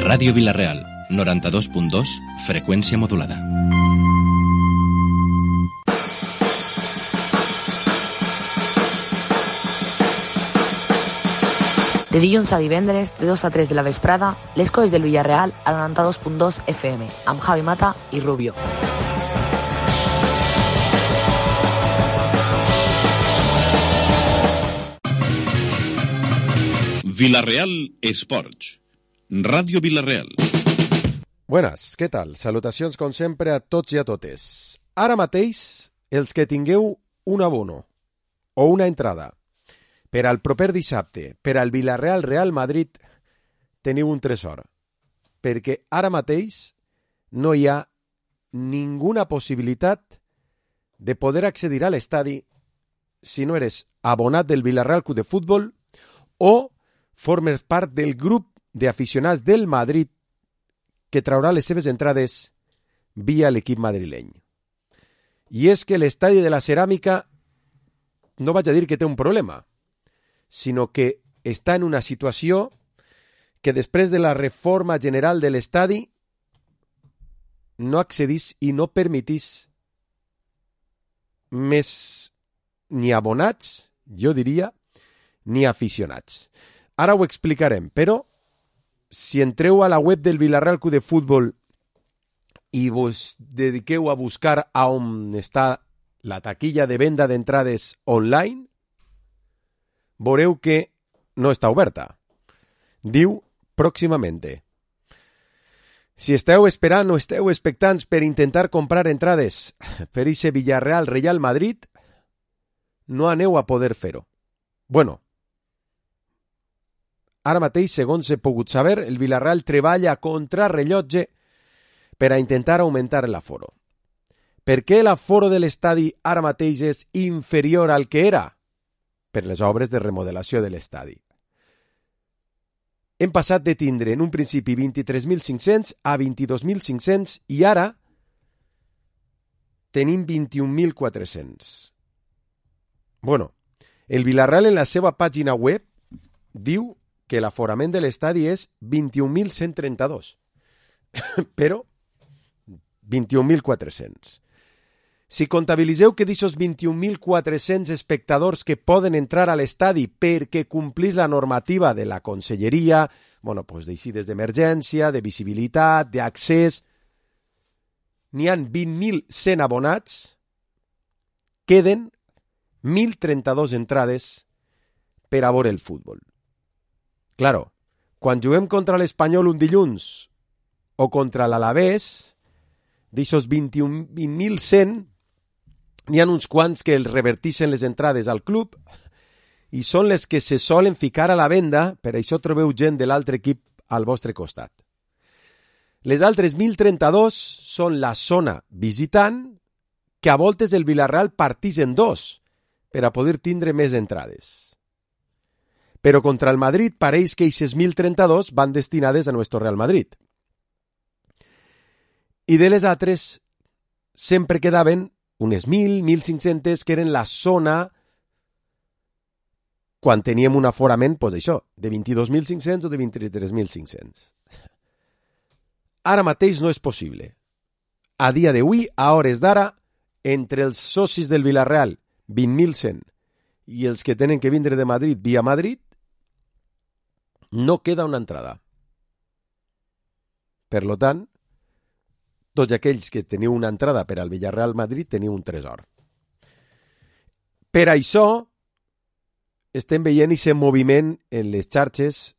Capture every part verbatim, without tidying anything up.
Ràdio Vila-real, noranta-dos punt dos, freqüència modulada. De dilluns a divendres, de dos a tres de la vesprada, les coses del Villarreal a noranta-dos punt dos F M, amb Javi Mata i Rubio. Vila-real Esports. Ràdio Vila-real. Buenas, què tal? Salutacions com sempre a tots i a totes. Ara mateix, els que tingueu un abono o una entrada per al proper dissabte, per al Vila-real Real Madrid, teniu un tresor. Perquè ara mateix no hi ha ninguna possibilitat de poder accedir a l'estadi si no eres abonat del Vila-real Club de Futbol o formes part del grup d'aficionats del Madrid que traurà les seves entrades via l'equip madrileny. I és que l'estadi de la Ceràmica no vaig a dir que té un problema, sinó que està en una situació que després de la reforma general de l'estadi no accedís i no permetís més ni abonats, jo diria, ni aficionats. Ara ho explicarem, però si entreu a la web del Vila-real Club de Futbol i vos dediqueu a buscar a on està la taquilla de venda d'entrades online, veureu que no està oberta. Diu pròximamente. Si esteu esperant o esteu expectants per intentar comprar entrades per ese Villarreal Real Madrid, no aneu a poder fer-ho. Bueno, ara mateix, segons he pogut saber, el Villarreal treballa contra rellotge per a intentar augmentar l'aforo. Per què l'aforo de l'estadi ara mateix és inferior al que era? Per les obres de remodelació de l'estadi. Hem passat de tindre en un principi vint-i-tres mil cinc-cents a vint-i-dos mil cinc-cents i ara tenim vint-i-un mil quatre-cents. Bueno, el Villarreal en la seva pàgina web diu que l'aforament de l'estadi és vint-i-un mil cent trenta-dos, però vint-i-un mil quatre-cents. Si comptabilitzeu que d'aquests vint-i-un mil quatre-cents espectadors que poden entrar a l'estadi perquè complís la normativa de la conselleria, bueno, pues d'eixides d'emergència, de visibilitat, d'accés, n'hi ha vint mil cent abonats, queden mil trenta-dos entrades per a veure el futbol. Claro, quan juguem contra l'Espanyol un dilluns o contra l'Alavés, d'aixòs vint-i-un mil cent, n'hi ha uns quants que els revertixen les entrades al club i són les que se solen ficar a la venda, per això trobeu gent de l'altre equip al vostre costat. Les altres mil trenta-dos són la zona visitant, que a voltes el Villarreal partís en dos per a poder tindre més entrades. Però contra el Madrid pareix que aquestes mil trenta-dos van destinades a nuestro Real Madrid. I de les altres sempre quedaven unes mil, mil cinc-centes, que eren la zona quan teníem un aforament, doncs això, de vint-i-dos mil cinc-cents o de vint-i-tres mil cinc-cents. Ara mateix no és possible. A dia d'avui, a hores d'ara, entre els socis del Villarreal, vint mil cent, i els que tenen que vindre de Madrid via Madrid, no queda una entrada. Per lo tant, tots aquells que teniu una entrada per al Villarreal Madrid teniu un tresor. Per això estem veient aquest moviment en les xarxes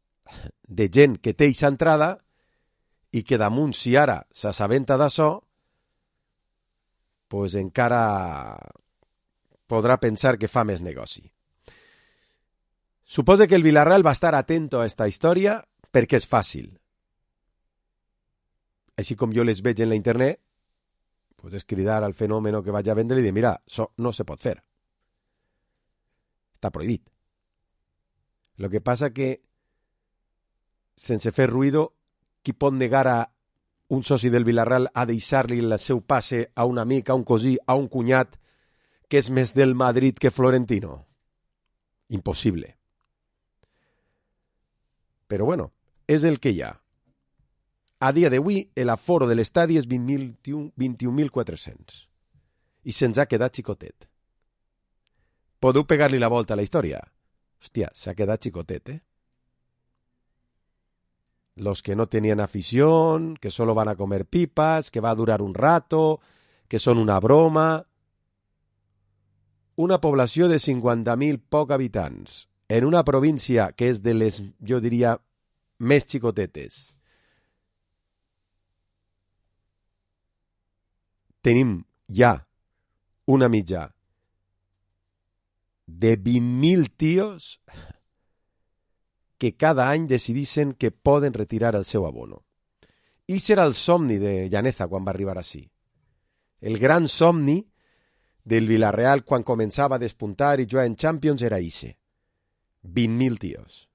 de gent que té aquesta entrada i que damunt, si ara s'assabenta d'això, pues encara podrà pensar que fa més negoci. Suposo que el Villarreal va estar atento a esta història perquè és fàcil. Així com jo les veig en la internet, pues és cridar al fenòmeno que vaig a vendre i dir, mira, això no se pot fer. Està prohibit. Lo que passa que, sense fer ruïdo, qui pot negar a un soci del Villarreal a deixar-li el seu passe a un amic, a un cosí, a un cunyat, que és més del Madrid que Florentino? Impossible. Però bueno, és el que hi ha. a dia d'avui l'aforo de l'estadi és vint-i-un mil quatre-cents i se'ns ha quedat xicotet. Podeu pegar-li la volta a la història? Hòstia, s'ha quedat xicotet, eh? Los que no tenían afición, que solo van a comer pipas, que va a durar un rato, que son una broma. Una població de cinquanta mil poc habitants, en una província que és de les, jo diria, més xicotetes. Tenim ja una mitja de vint mil tios que cada any decidissin que poden retirar el seu abono. I serà el somni de Llaneza quan va arribar així. El gran somni del Villarreal quan començava a despuntar i jugar en Champions era ixe. vint mil tios.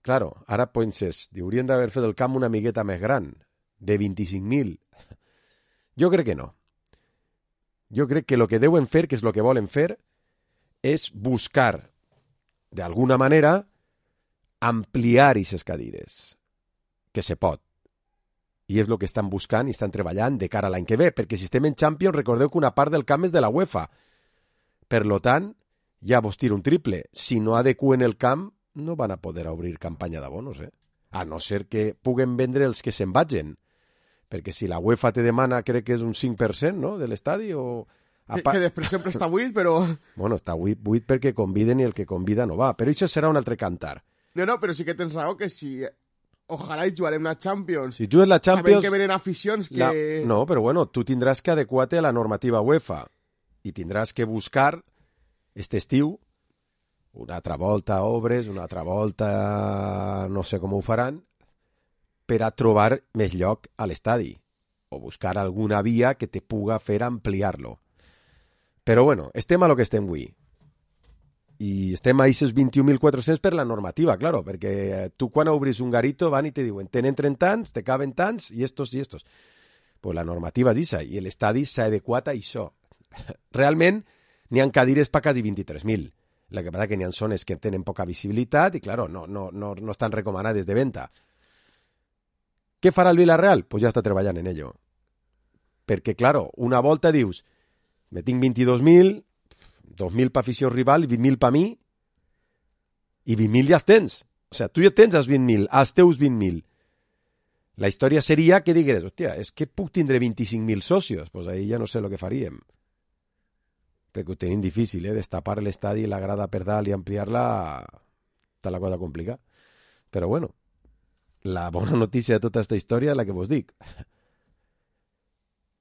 Claro, ara penses, haurien d'haver fet el camp una miqueta més gran, de vint-i-cinc mil. Jo crec que no. Jo crec que el que deuen fer, que és el que volen fer, és buscar, d'alguna manera, ampliar aquestes cadires. Que se pot. I és el que estan buscant i estan treballant de cara a l'any que ve, perquè si estem en Champions, recordeu que una part del camp és de la UEFA. Per lo tant, ja vos tiro un triple. Si no adequen el camp, no van a poder obrir campanya d'abonos, eh? A no ser que puguen vendre els que se'n vagin. Perquè si la UEFA te demana, crec que és un cinc per cent, no?, de l'estadi, o... Que, que després sempre està buit, però... Bueno, està buit, buit perquè conviden i el que convida no va. Però això serà un altre cantar. No, no, però sí que tens raó que si... Ojalà hi jugarem la Champions. Si jugues la Champions... Sabem que venen aficions que... La... No, però bueno, tu tindràs que adequar-te a la normativa UEFA i tindràs que buscar este estiu una altra volta obres, una altra volta no sé com ho faran, per a trobar més lloc a l'estadi o buscar alguna via que te puga fer ampliar-lo. Però bueno, estem a lo que estem avui. I estem a aquests vint-i-un mil quatre-cents per la normativa, claro, perquè tu quan obris un garito van i te diuen tenen trenta anys, te caben tants, i estos i estos. Pues la normativa és això, i l'estadi s'ha adequat a això. Realment, n'hi ha cadires per quasi vint-i-tres mil. El que passa que n'hi ha zones que tenen poca visibilitat i, claro, no, no, no, no estan recomanades de venda. Què farà el Villarreal? Pues ja està treballant en ello. Perquè, claro, una volta dius, me tinc vint-i-dos mil, dos mil per afició rival i vint mil per mi, i vint mil ja els tens. O sigui, tu ja tens els vint mil, els teus vint mil. La història seria que digueres, hòstia, és que puc tindre vint-i-cinc mil socios? Doncs pues ahí ja no sé el que faríem. Perquè ho tenim difícil, eh? Destapar l'estadi, la grada per dalt i ampliar-la, està la cosa complicada. Però bueno, la bona notícia de tota aquesta història és la que vos dic.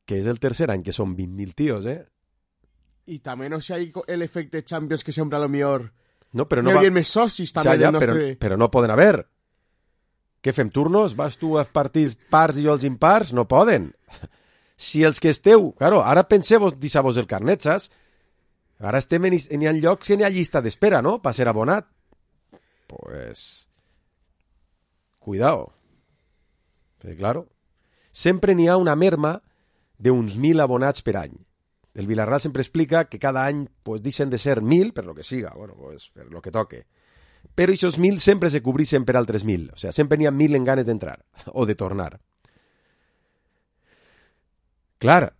Que és el tercer any que són vint mil tios, eh? I també no sé hay l'efecte Champions que sempre a lo millor no, però no hi va... hauria més socis també ja, ja, del nostre... però, però no poden haver. Què fem, turnos? Vas tu als partits pars i jo als impars? No poden. Si els que esteu... Claro, ara penseu-vos, deixar-vos el carnet, saps? Ara estem en, en hi ha llocs que n'hi ha llista d'espera, no?, per ser abonat. Pues... Cuidao. Pues claro. Sempre n'hi ha una merma d'uns mil abonats per any. El Villarreal sempre explica que cada any pues, deixen de ser mil, per lo que siga, bueno, pues, per lo que toque. Però aquests mil sempre se cobreixen per altres mil. O sigui, sempre n'hi ha mil en ganes d'entrar o de tornar. Clar,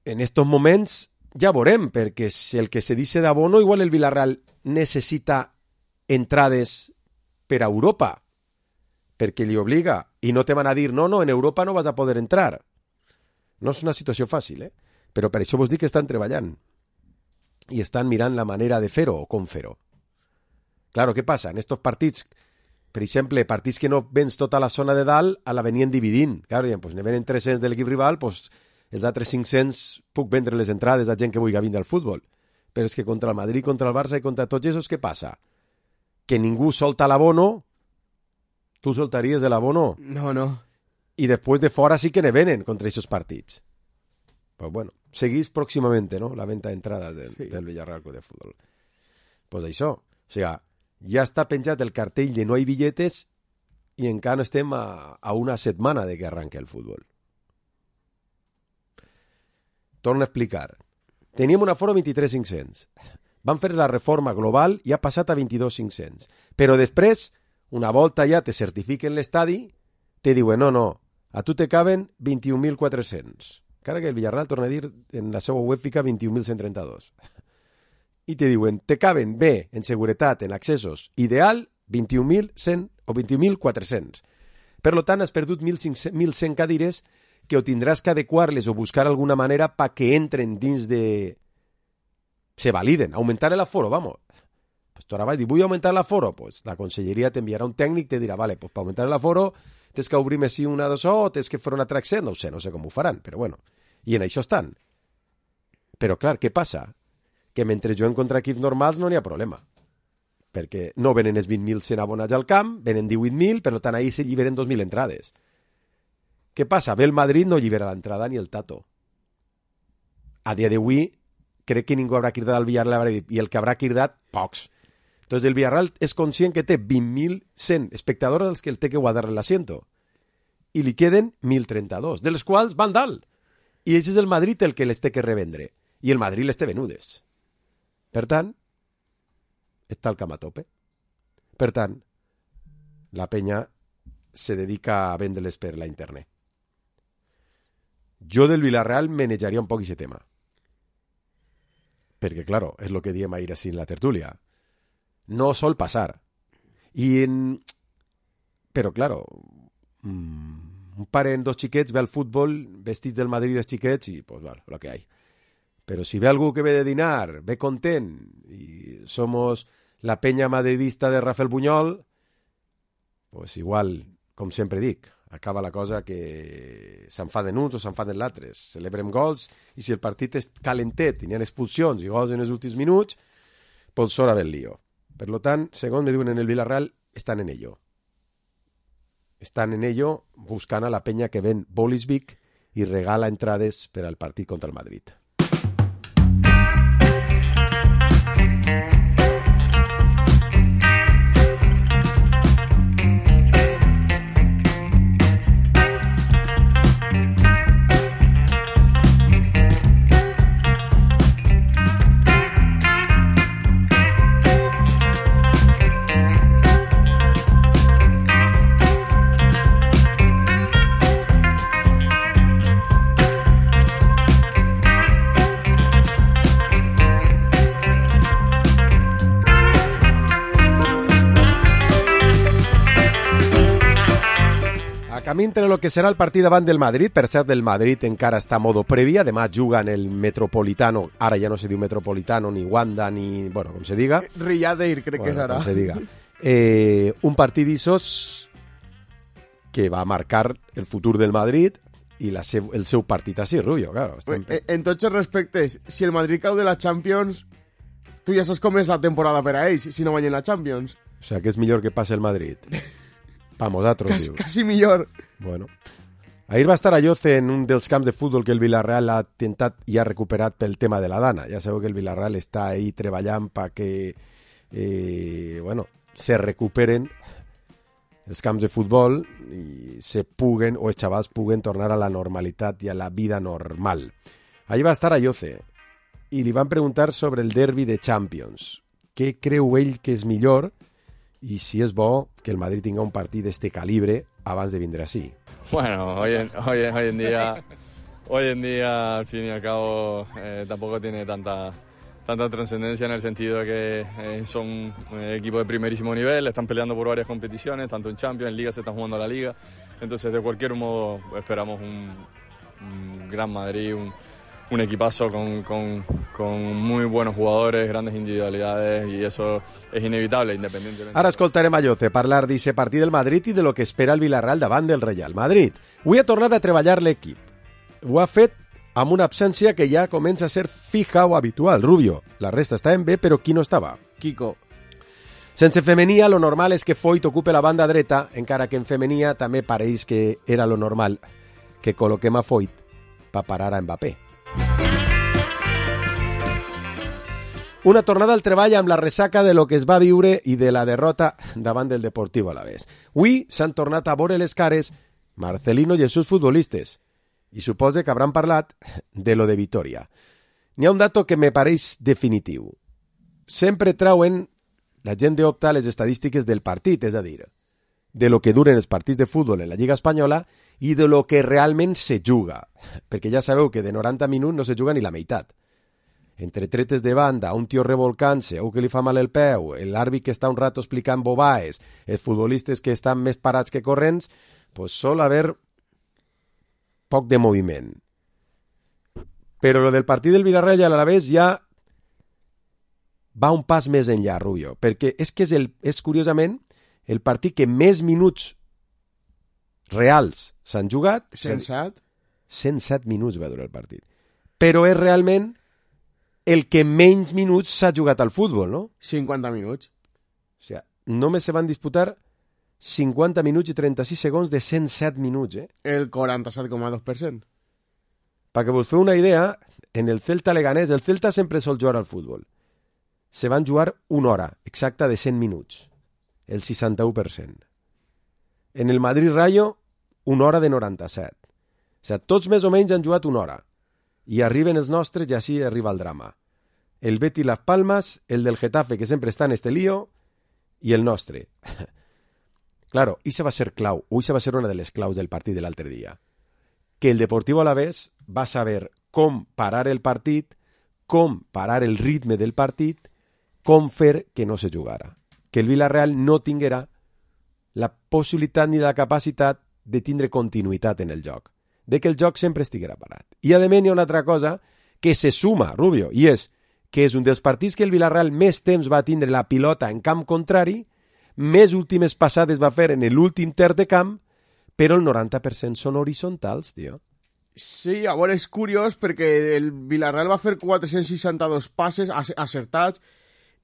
en estos moments ja veurem, perquè si el que se dice d'abono, igual el Villarreal necessita entrades per a Europa, perquè li obliga, i no te van a dir, no, no, en Europa no vas a poder entrar. No és una situació fàcil, eh? Però per això vos dic que estan treballant i estan mirant la manera de fer-ho o com fer-ho. Claro, què passa? En estos partits, per exemple, partits que no vens tota la zona de dalt, a la venien dividint. Claro, diuen, pues, ne venen tres-cents de l'equip rival, pues, els altres cinc-cents puc vendre les entrades a gent que vulgui vindre al futbol. Però és que contra el Madrid, contra el Barça i contra tots esos, què passa? Que ningú solta l'abono. Tu soltaries l'abono? No, no. I després de fora sí que ne venen contra aquests partits. Pues bueno, seguís pròximament, ¿no?, la venta d'entrades del, sí. del Villarreal Club de Futbol. Pues això, o sigui, ja està penjat el cartell de no hi billetes i encara estem a, a una setmana de que arranque el futbol. Torno a explicar. Teníem un aforo vint-i-tres mil cinc-cents. Van fer la reforma global i ha passat a vint-i-dos mil cinc-cents. Però després, una volta ja te certifiquen l'estadi, te diuen, no, no, a tu te caben vint-i-un mil quatre-cents. Encara que el Villarreal, torna a dir, en la seva web fica vint-i-un mil cent trenta-dos. I te diuen, te caben bé, en seguretat, en accessos, ideal, vint-i-un mil cent o vint-i-un mil quatre-cents. Per tant, has perdut mil cent cadires que o tindràs que adequar-les o buscar alguna manera pa que entren dins de... se validen, augmentar el aforo, vamos. Pues tu ara vas dir, vull augmentar l'aforo, pues la conselleria t'enviarà un tècnic, te dirà, vale, pues per augmentar l'aforo tens que obrir més una d'això o tens que fer una altra accés, no ho sé, no sé com ho faran, però bueno, i en això estan. Però clar, què passa? Que mentre jo en contra equips normals no n'hi ha problema, perquè no venen els vint mil cent abonats al camp, venen divuit mil, per tant ahir se lliberen dos mil entrades. Què passa? Ve el Madrid, no llibera l'entrada ni el Tato. A dia d'avui, crec que ningú haurà cridat al Villarreal i el que haurà cridat, pocs. Entonces el Villarreal és conscient que té vint mil cent espectadors als que el té que guardar l'asiento. I li queden mil trenta-dos, de les quals van dalt. I això és el Madrid el que les té que revendre. I el Madrid les té venudes. Per tant, està el camp a tope. Per tant, la penya se dedica a vendre-les per la internet. Jo del Villarreal manejaria un poc aquest tema. Perquè, claro, és el que diem ahir així en la tertúlia. No sol passar. I en... Però, claro, un pare amb dos xiquets ve al futbol vestits del Madrid dels xiquets i, pues, bueno, lo que hay. Però si ve algú que ve de dinar, ve content, i somos la penya madridista de Rafael Buñol, pues igual, com sempre dic, acaba la cosa que s'enfaden uns o s'enfaden l'altres. Celebrem gols i si el partit és calentet i n'hi ha expulsions i gols en els últims minuts, pues s'hora del lío. Per tant, segons me diuen en el Villarreal, estan en ello. Estan en ello buscant a la penya que ven Bolisvic i regala entrades per al partit contra el Madrid. Camí entre lo que serà el partit davant del Madrid, per cert, del Madrid encara està a modo prèvia, demà juga en el Metropolitano, ara ja no se diu Metropolitano, ni Wanda, ni, bueno, com se diga. Riadeir, crec bueno, que serà. Com se diga. Eh, un partit d'issos que va marcar el futur del Madrid i la seu, el seu partit així, Rubio, claro. En, en tots els respectes, si el Madrid cau de la Champions, tu ja saps com és la temporada per a ells, si no guanyen la Champions. O sea, que és millor que passe el Madrid. Pa nosaltres, Cas, dius. Quasi millor. Bueno. Ahir va estar a Lloce en un dels camps de futbol que el Villarreal ha tentat i ha recuperat pel tema de la Dana. Ja sabeu que el Villarreal està ahí treballant perquè eh, bueno, se recuperen els camps de futbol i se puguen, o els xavals puguen tornar a la normalitat i a la vida normal. Ahir va estar a Lloce i li van preguntar sobre el derbi de Champions. Què creu ell que és millor y si es bo que el Madrid tenga un partido de este calibre abans de vindre así. Bueno, hoy en, hoy, hoy en día hoy en día al fin y al cabo eh, tampoco tiene tanta tanta trascendencia en el sentido de que eh, son eh, equipos de primerísimo nivel, están peleando por varias competiciones, tanto en Champions, en Liga se están jugando la Liga, entonces de cualquier modo esperamos un, un gran Madrid, un un equipazo con, con, con muy buenos jugadores, grandes individualidades y eso es inevitable independientemente. Ara escoltarem a Lloce parlar d'aquest partit del Madrid i de lo que espera el Villarreal davant del Real Madrid. Avui ha tornat a treballar l'equip. Ho ha fet amb una absència que ja comença a ser fija o habitual. Rubio, la resta està en bé, però qui no estava? Kiko. Sense Femenia, lo normal és que Foyt ocupe la banda dreta, encara que en Femenia també pareix que era lo normal que col·loquem a Foyt per parar a Mbappé. Una tornada al treball amb la ressaca de lo que es va viure i de la derrota davant del Deportivo Alavés. Avui s'han tornat a veure les cares Marcelino i els seus futbolistes i suposa que hauran parlat de lo de Vitoria. N'hi ha un dato que me pareix definitiu. Sempre trauen la gent d'Opta les estadístiques del partit, és a dir, de lo que duren els partits de futbol en la Lliga Espanyola i de lo que realment se juga, perquè ja sabeu que de noranta minuts no se juga ni la meitat. Entre tretes de banda, un tio revolcant-se, un que li fa mal el peu, l'àrbit que està un rato explicant bobaes, els futbolistes que estan més parats que corrents, pues sol haver poc de moviment. Però lo del partit del Villarreal i l'Alavés ja va un pas més enllà, Rubio, perquè és que és, el, és curiosament el partit que més minuts reals s'han jugat. cent set? cent set minuts va durar el partit. Però és realment el que menys minuts s'ha jugat al futbol, no? cinquanta minuts. O sigui, només se van disputar cinquanta minuts i trenta-sis segons de cent set minuts, eh? El quaranta-set coma dos per cent. Perquè vos feu una idea, en el Celta Leganés, el Celta sempre sol jugar al futbol. Se van jugar una hora exacta de cent minuts, el seixanta-u per cent. En el Madrid Rayo, una hora de noranta-set. O sigui, tots més o menys han jugat una hora. I arriben els nostres i així arriba el drama. El Betis Las Palmas, el del Getafe, que sempre està en este lío, i el nostre. Claro, això va ser clau, o això va ser una de les claus del partit de l'altre dia. Que el Deportivo Alavés va saber com parar el partit, com parar el ritme del partit, com fer que no se jugara. Que el Villarreal no tinguera la possibilitat ni la capacitat de tindre continuïtat en el joc, de que el joc sempre estiguera parat. I a més hi ha una altra cosa que se suma, Rubio, i és que és un dels partits que el Villarreal més temps va tindre la pilota en camp contrari, més últimes passades va fer en l'últim terç de camp, però el noranta per cent són horitzontals, tio. Sí, a veure, és curiós perquè el Villarreal va fer quatre-cents seixanta-dos passes acertats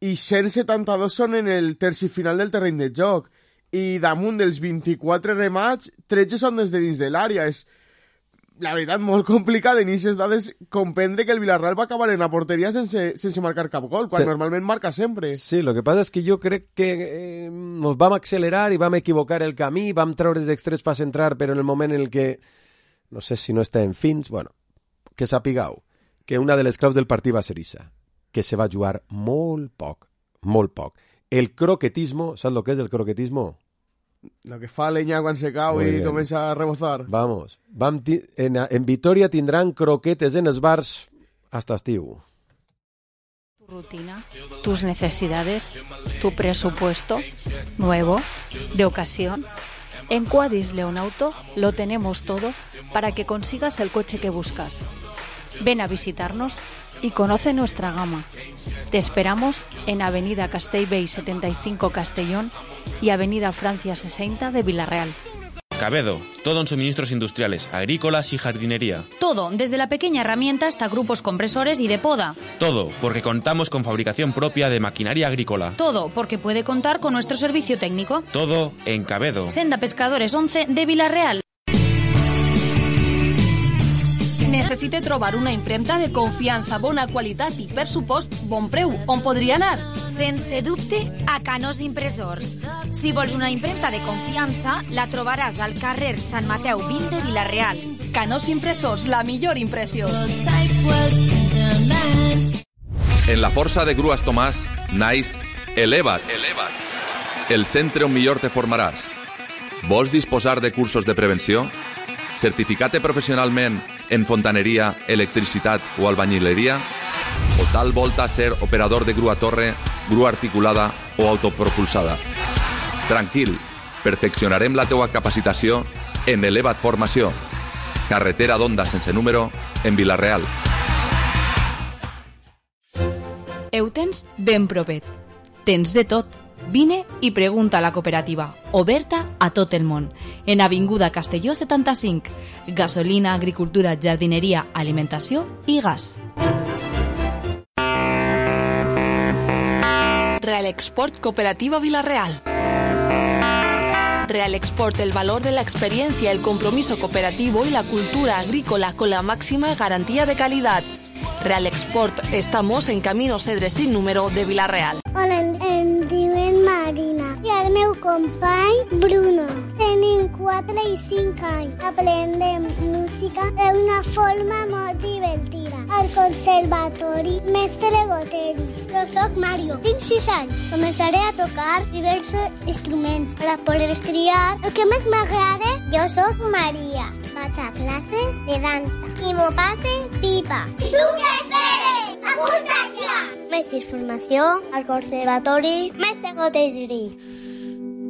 i cent setanta-dos són en el terci final del terreny de joc. I damunt dels vint-i-quatre remats, tretze són des de dins de l'àrea. És, la veritat, molt complicat en aquestes dades comprendre que el Villarreal va acabar en la porteria sense, sense marcar cap gol, quan sí. Normalment marca sempre. Sí, lo que passa és que jo crec que eh, nos vam accelerar i vam equivocar el camí, vam treure els extrets per centrar, però en el moment en el que, no sé si no està en fins, bueno, que sapigueu que una de les claus del partit va ser això, que se va jugar molt poc, molt poc. El croquetismo, ¿sabes lo que es el croquetismo? Lo que fa leña quan se cau i comença a rebozar. Vamos, vam en, en Vitoria tindran croquetes en els bars hasta estiu. Tu rutina, tus necesidades, tu presupuesto, nuevo, de ocasión. En Quadis Leonauto lo tenemos todo para que consigas el coche que buscas. Ven a visitarnos y conoce nuestra gama. Te esperamos en Avenida Castellbell setenta y cinco Castellón y Avenida Francia sesenta de Villarreal. Cabedo, todo en suministros industriales, agrícolas y jardinería. Todo, desde la pequeña herramienta hasta grupos compresores y de poda. Todo, porque contamos con fabricación propia de maquinaria agrícola. Todo, porque puede contar con nuestro servicio técnico. Todo en Cabedo. Senda Pescadores once de Villarreal. Necessite trobar una impremta de confiança, bona qualitat i, per supost, bon preu. On podria anar? Sense dubte, a Canós Impressors. Si vols una impremta de confiança, la trobaràs al carrer Sant Mateu vint de Villarreal. Canós Impressors, la millor impressió. En la força de Grues Tomàs, naix Eleva't. Eleva't. El centre on millor te formaràs. Vols disposar de cursos de prevenció? Certificat professionalment en fontaneria, electricitat o albañileria? O tal volta ser operador de grua torre, grua articulada o autopropulsada? Tranquil, perfeccionarem la teua capacitació en Eleva't Formació. Carretera d'Onda sense número en Vilareal. Eutens ben propet. Tens de tot. Vine i pregunta a la cooperativa, oberta a tot el món. En Avinguda Castelló setanta-cinc. Gasolina, agricultura, jardineria, alimentació i gas. Real Export Cooperativa Vilareal. Real Export, el valor de la experiencia, el compromiso cooperativo y la cultura agrícola con la máxima garantía de calidad. Real Export, estamos en Camino Cedre sin número de Vilareal. Hola, em diuen Marina i el meu company Bruno. Tenim quatre quatre i cinc anys. Aprendem música d'una forma molt divertida. Al conservatori Mestre Goteri. Jo soc Mario, tinc sis anys. Començaré a tocar diversos instruments per a poder triar el que més m'agrada. Jo soc Maria. Vaig a classes de dansa i m'ho passe pipa. I tu què esperes? Apunta't ja! Més informació al conservatori Mestre Goteri.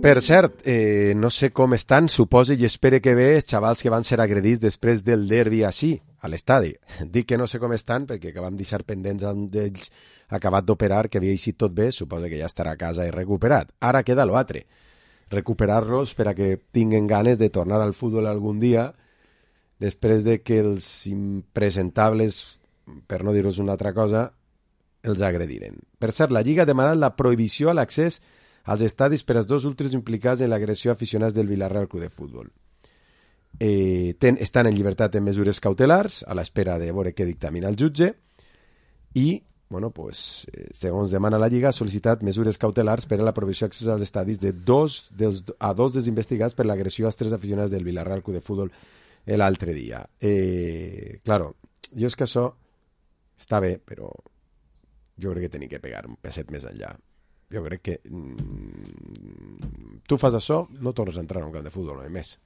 Per cert, eh, no sé com estan, suposo i espero que bé els xavals que van ser agredits després del derbi així, a l'estadi. Dic que no sé com estan perquè que vam deixar pendents amb ells acabat d'operar, que havia eixit tot bé, suposo que ja estarà a casa i recuperat. Ara queda l'altre, recuperar-los per a que tinguen ganes de tornar al futbol algun dia, després de que els impresentables, per no dir-vos una altra cosa, els agrediren. Per cert, la Lliga ha demanat la prohibició a l'accés als estadis per als dos últims implicats en l'agressió a aficionats del Villarreal Club de Futbol. Eh, ten, estan en llibertat en mesures cautelars, a l'espera de veure què dictamina el jutge, i, bueno, pues, eh, segons demana la Lliga, ha sol·licitat mesures cautelars per a la prohibició d'accés als estadis de dos dels, a dos dels investigats per l'agressió als tres aficionats del Villarreal Club de Futbol l'altre dia. Eh, claro, jo és que això està bé, però jo crec que tenia que pegar un peset més enllà. Jo crec que mm, tu fas això, no tornes a entrar a un camp de futbol, no més.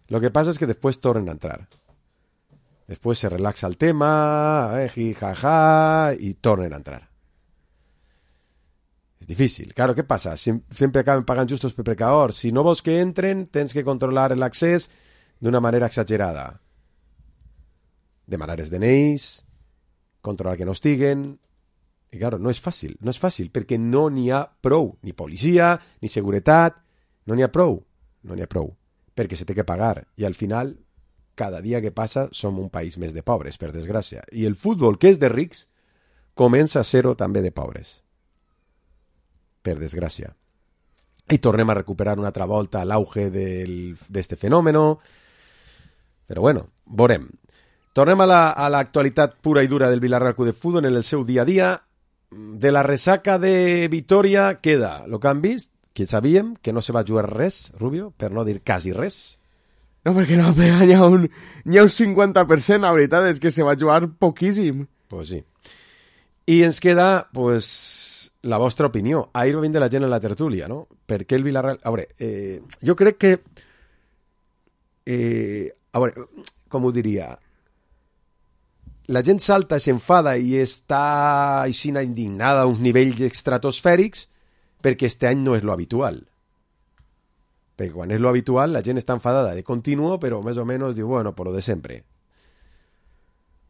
Lo que pasa es que después tornen a entrar. Después se relaxa el tema, eh, jaja, y tornen a entrar. Es difícil. Claro, ¿qué pasa? Siempre acaben pagant justos per pecadors. Si no vols que entren, tens que controlar l'accés d'una manera exagerada. Demanar els D N Is, controlar que no estiguen. I, claro, no és fàcil, no és fàcil, perquè no n'hi ha prou, ni policia, ni seguretat, no n'hi ha prou, no n'hi ha prou, perquè se té que pagar, i al final, cada dia que passa, som un país més de pobres, per desgràcia, i el futbol, que és de rics, comença a ser-ho també de pobres, per desgràcia. I tornem a recuperar una altra volta l'auge d'este fenòmeno, però bueno, veurem. Tornem a l'actualitat la, pura i dura del Villarreal Club de Futbol en el seu dia a dia. De la resaca de Vitoria queda el que han vist, que sabíem que no se va jugar res, Rubio, per no dir quasi res. No, perquè no, però n'hi ha, un, hi ha un cinquanta per cent, la veritat és que se va jugar poquíssim. Pues sí. I ens queda, pues, la vostra opinió. Ahir va vindre la gent en la tertúlia, no? Per què el Villarreal... A veure, eh, jo crec que... Eh, a veure, com ho diria... La gent salta, s'enfada i està així indignada a uns nivells estratosfèrics perquè este any no és lo habitual. Perquè quan és lo habitual la gent està enfadada de continuo, però més o menys diu, bueno, por lo de sempre.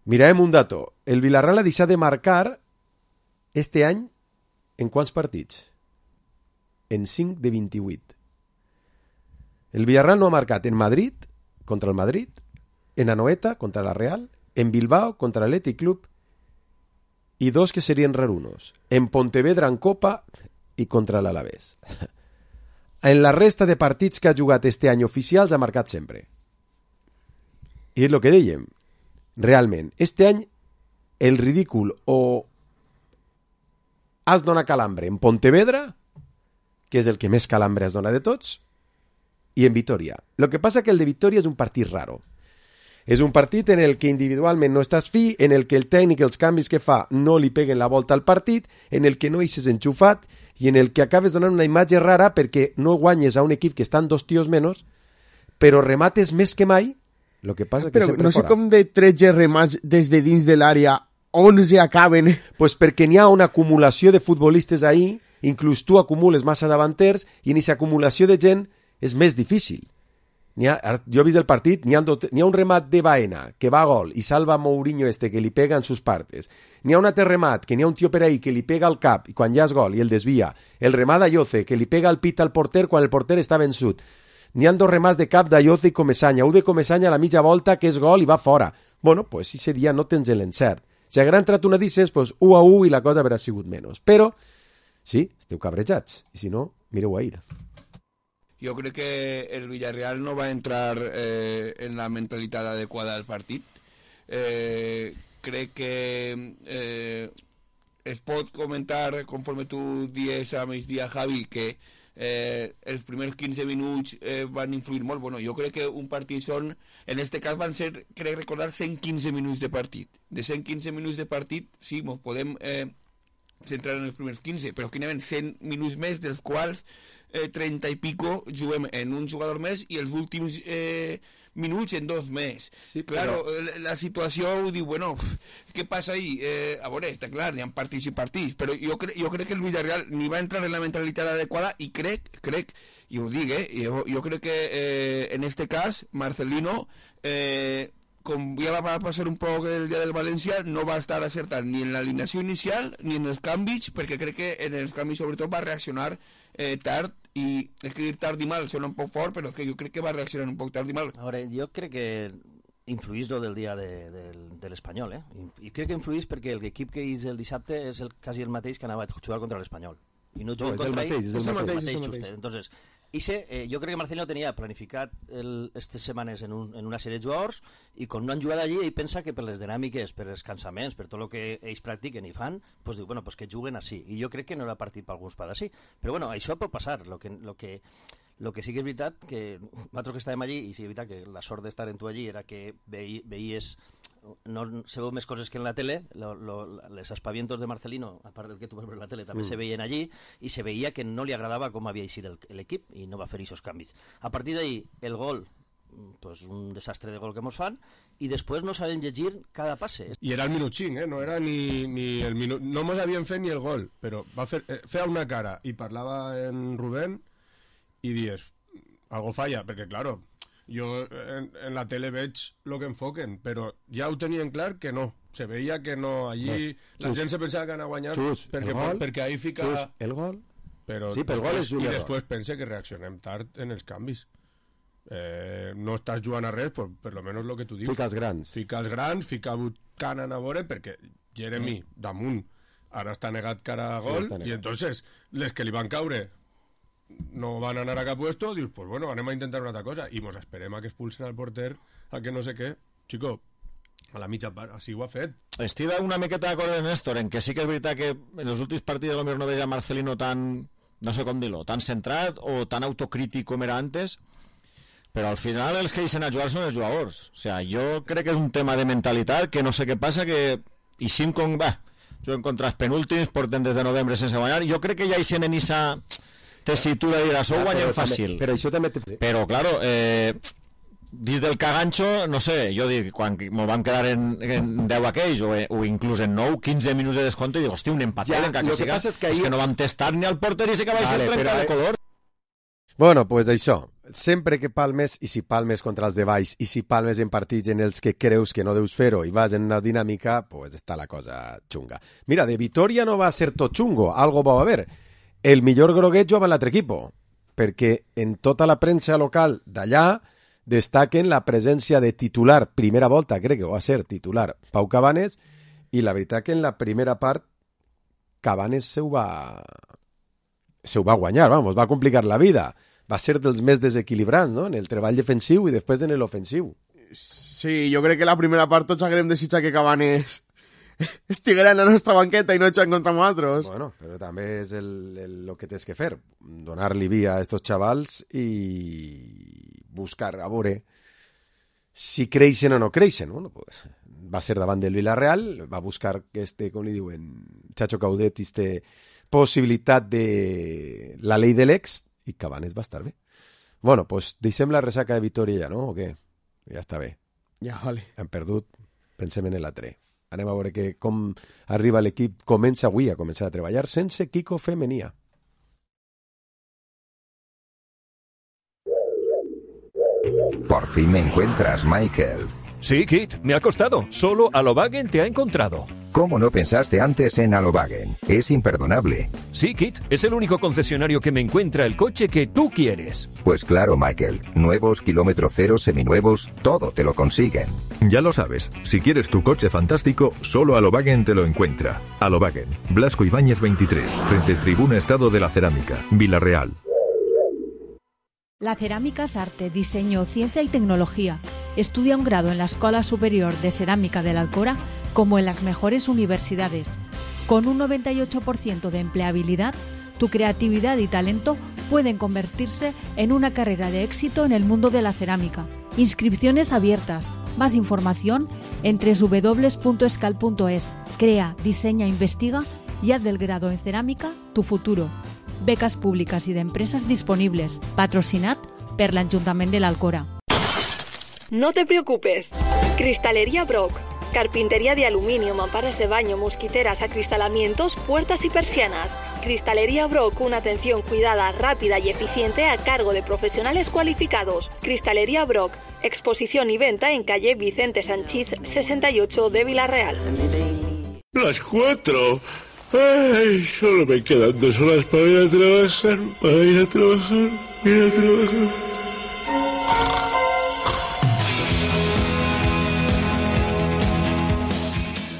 Mirem un dato. El Villarreal ha deixat de marcar este any en quants partits? En cinc de vint-i-vuit. El Villarreal no ha marcat en Madrid, contra el Madrid, en Anoeta, contra la Real, en Bilbao contra l'Athletic Club i dos que serien rarunos, en Pontevedra en Copa i contra l'Alavés. En la resta de partits que ha jugat este any oficials ha marcat sempre. I és el que dèiem, realment, este any el ridícul o has donat calambre en Pontevedra, que és el que més calambre has donat de tots, i en Vitoria. Lo que passa que el de Vitoria és un partit raro. És un partit en el que individualment no estàs fi, en el que el tècnic, els canvis que fa, no li peguen la volta al partit, en el que no eixes enxufat i en el que acabes donant una imatge rara perquè no guanyes a un equip que estan dos tios menys, però remates més que mai, el que passa que però sempre no sé fora. com de tretze remats des de dins de l'àrea, onze acaben. Pues perquè n'hi ha una acumulació de futbolistes ahí, inclús tu acumules massa davanters i en aquesta acumulació de gent és més difícil. N'hi ha, jo he vist el partit, n'hi ha, n'hi ha un remat de Baena que va a gol i salva Mourinho este que li pega en sus partes. N'hi ha un altre remat que n'hi ha un tio per ahí que li pega al cap i quan ja és gol i el desvia. El remat d'Ayoce que li pega al pit al porter quan el porter està vençut. N'hi ha dos remats de cap d'Ayoce i Comesaña. Un de Comesaña a la mitja volta que és gol i va fora. Bueno, pues si ese dia no tens l'encert. Si haguera entrat una d'ixes, pues u a u i la cosa haurà sigut menys. Però, sí, esteu cabrejats. I si no, mireu a ir. Yo creo que el Villarreal no va a entrar eh, en la mentalidad adecuada del partido. Eh, creo que eh, es pot comentar, conforme tú dies a mis días, Javi, que eh, els primers quinze minuts eh, van influir molt. Bueno, jo crec que un partit són, en este cas van ser, crec recordar, cent quinze minuts de partit. De cent quinze minuts de partit, sí, ens podem eh, centrar en els primers quinze, però que n'hi cent minuts més, dels quals eh, trenta i pico juguem en un jugador més i els últims eh, minuts en dos més. Sí, claro, però... la, la situació ho diu, bueno, què passa ahí? Eh, a veure, està clar, hi ha partits i partits, però jo, cre jo crec que el Villarreal ni va entrar en la mentalitat adequada i crec, crec, i ho dic, eh, jo, jo crec que eh, en este cas Marcelino, eh, com ja va passar un poc el dia del València, no va estar acertat ni en l'alineació inicial ni en els canvis, perquè crec que en els canvis sobretot va reaccionar eh, tard, i és que dir tard i mal sona un poc fort, però és que jo crec que va reaccionar un poc tard i mal. A veure, jo crec que influís lo del dia de, de, de l'Espanyol, eh? I crec que influís perquè l'equip que és el dissabte és el, quasi el mateix que anava a jugar contra l'Espanyol. I no juga no, contra el mateix, ell, és el mateix, mateix, és el just, mateix. Entonces, Ixe, eh, jo crec que Marcelino tenia planificat aquestes setmanes en, un, en una sèrie de jugadors i quan no han jugat allí ell pensa que per les dinàmiques, per els cansaments, per tot el que ells practiquen i fan, pues diu, bueno, pues que juguen així. I jo crec que no era partit per alguns per així. Però bueno, això pot passar. Lo que, lo que, lo que sí que és veritat que nosaltres que estàvem allí, i sí és veritat que la sort d'estar en tu allí era que veí, veies no se veu més coses que en la tele, lo, lo, les aspavientos de Marcelino, a part del que tu vas veure en la tele, també mm. se veien allí, i se veia que no li agradava com havia eixit l'equip, i no va fer aquests canvis. A partir d'ahí, el gol, pues un desastre de gol que mos fan, i després no sabem llegir cada passe. I era el minut cinc, eh? No era ni, ni el minut... No mos havien fet ni el gol, però va fer, eh, feia una cara, i parlava en Rubén, i dies, algo falla, perquè, claro... Jo en, en la tele veig el que enfoquen, però ja ho tenien clar que no. Se veia que no. Allí no. La Xus. gent se pensava que anava a guanyar Xus, perquè, gol, perquè ahí fica... Xus, el gol? Però sí, però el gol és un I error. després pense que reaccionem tard en els canvis. Eh, no estàs jugant a res, però per lo menos el que tu dius. Fica els grans. Fica els grans, fica Buchanan a veure, perquè Jeremy, mm. damunt, ara està negat cara a gol, sí, i entonces les que li van caure no van anar a cap puesto, dius, pues bueno, anem a intentar una altra cosa, i mos esperem a que expulsen al porter, a que no sé què. Chico, a la mitja part, així ho ha fet. Estic una miqueta d'acord amb Néstor, en que sí que és veritat que en els últims partits potser no veia Marcelino tan, no sé com dir-lo, tan centrat o tan autocrític com era antes, però al final els que deixen a jugar són els jugadors. O sea, jo crec que és un tema de mentalitat, que no sé què passa, que i cinc com, va, juguen contra els penúltims, porten des de novembre sense guanyar, jo crec que ja hi sent en issa tessitura i d'això ho guanyem fàcil. Però això també... Però, claro, eh, dins del caganxo, no sé, jo dic, quan me'l vam quedar en, en deu aquells, o, o inclús en nou, quinze minuts de descompte, i dic, hosti, un empatat, ja, encara que, que siga, és que, ahir... és que no vam testar ni al porter i sí que va vale, ser trencar de color. Bueno, pues això, sempre que palmes, i si palmes contra els de baix, i si palmes en partits en els que creus que no deus fer-ho i vas en una dinàmica, pues està la cosa xunga. Mira, de Vitoria no va ser tot xungo, algo va a haver. El millor groguet jugava l'altre equip, perquè en tota la premsa local d'allà destaquen la presència de titular, primera volta, crec que va ser titular, Pau Cabanes, i la veritat que en la primera part Cabanes se ho va, se ho va guanyar, vamos, va complicar la vida. Va ser dels més desequilibrants, no?, en el treball defensiu i després en l'ofensiu. Sí, jo crec que la primera part tots haguem desitjat que Cabanes estiguera en la nostra banqueta i no echar contra nosaltres. Bueno, però també és el, el, lo que tens que fer, donar-li via a estos xavals i buscar a veure si creixen o no creixen. Bueno, pues, va ser davant del Villarreal, va buscar este, com li diuen, Chacho Caudet, este possibilitat de la llei de l'ex, i Cabanes va estar bé. Bueno, pues deixem la ressaca de Vitoria ja, no? O què? Ja està bé. Ja, vale. Hem perdut, pensem en l'altre. Anem a veure que com arriba l'equip, comença avui a començar a treballar sense Kiko Femenia. Por fin me encuentras, Michael. Sí, Kit, me ha costado. Solo Alobagen te ha encontrado. ¿Cómo no pensaste antes en Alobagen? Es imperdonable. Sí, Kit, es el único concesionario que me encuentra el coche que tú quieres. Pues claro, Michael. Nuevos, kilómetro cero, seminuevos, todo te lo consiguen. Ya lo sabes. Si quieres tu coche fantástico, solo Alobagen te lo encuentra. Alobagen, Blasco Ibáñez veintitrés, frente Tribuna Estado de la Cerámica, Villarreal. La cerámica es arte, diseño, ciencia y tecnología. Estudia un grado en la Escuela Superior de Cerámica de la Alcora como en las mejores universidades. Con un noventa y ocho por ciento de empleabilidad, tu creatividad y talento pueden convertirse en una carrera de éxito en el mundo de la cerámica. Inscripciones abiertas. Más información en doble u doble u doble u punto escal punto es. Crea, diseña, investiga y haz del grado en cerámica tu futuro. Becas públicas y de empresas disponibles. Patrocinat per l'Ajuntament de l'Alcora. No te preocupes. Cristalería Brock. Carpintería de aluminio, mamparas de baño, mosquiteras, acristalamientos, puertas y persianas. Cristalería Brock, una atención cuidada, rápida y eficiente a cargo de profesionales cualificados. Cristalería Brock, exposición y venta en calle Vicente Sanchís sesenta y ocho de Villarreal. Las cuatro. Ay, solo me quedan dos horas para ir a trabajar, para ir a trabajar, ir a trabajar.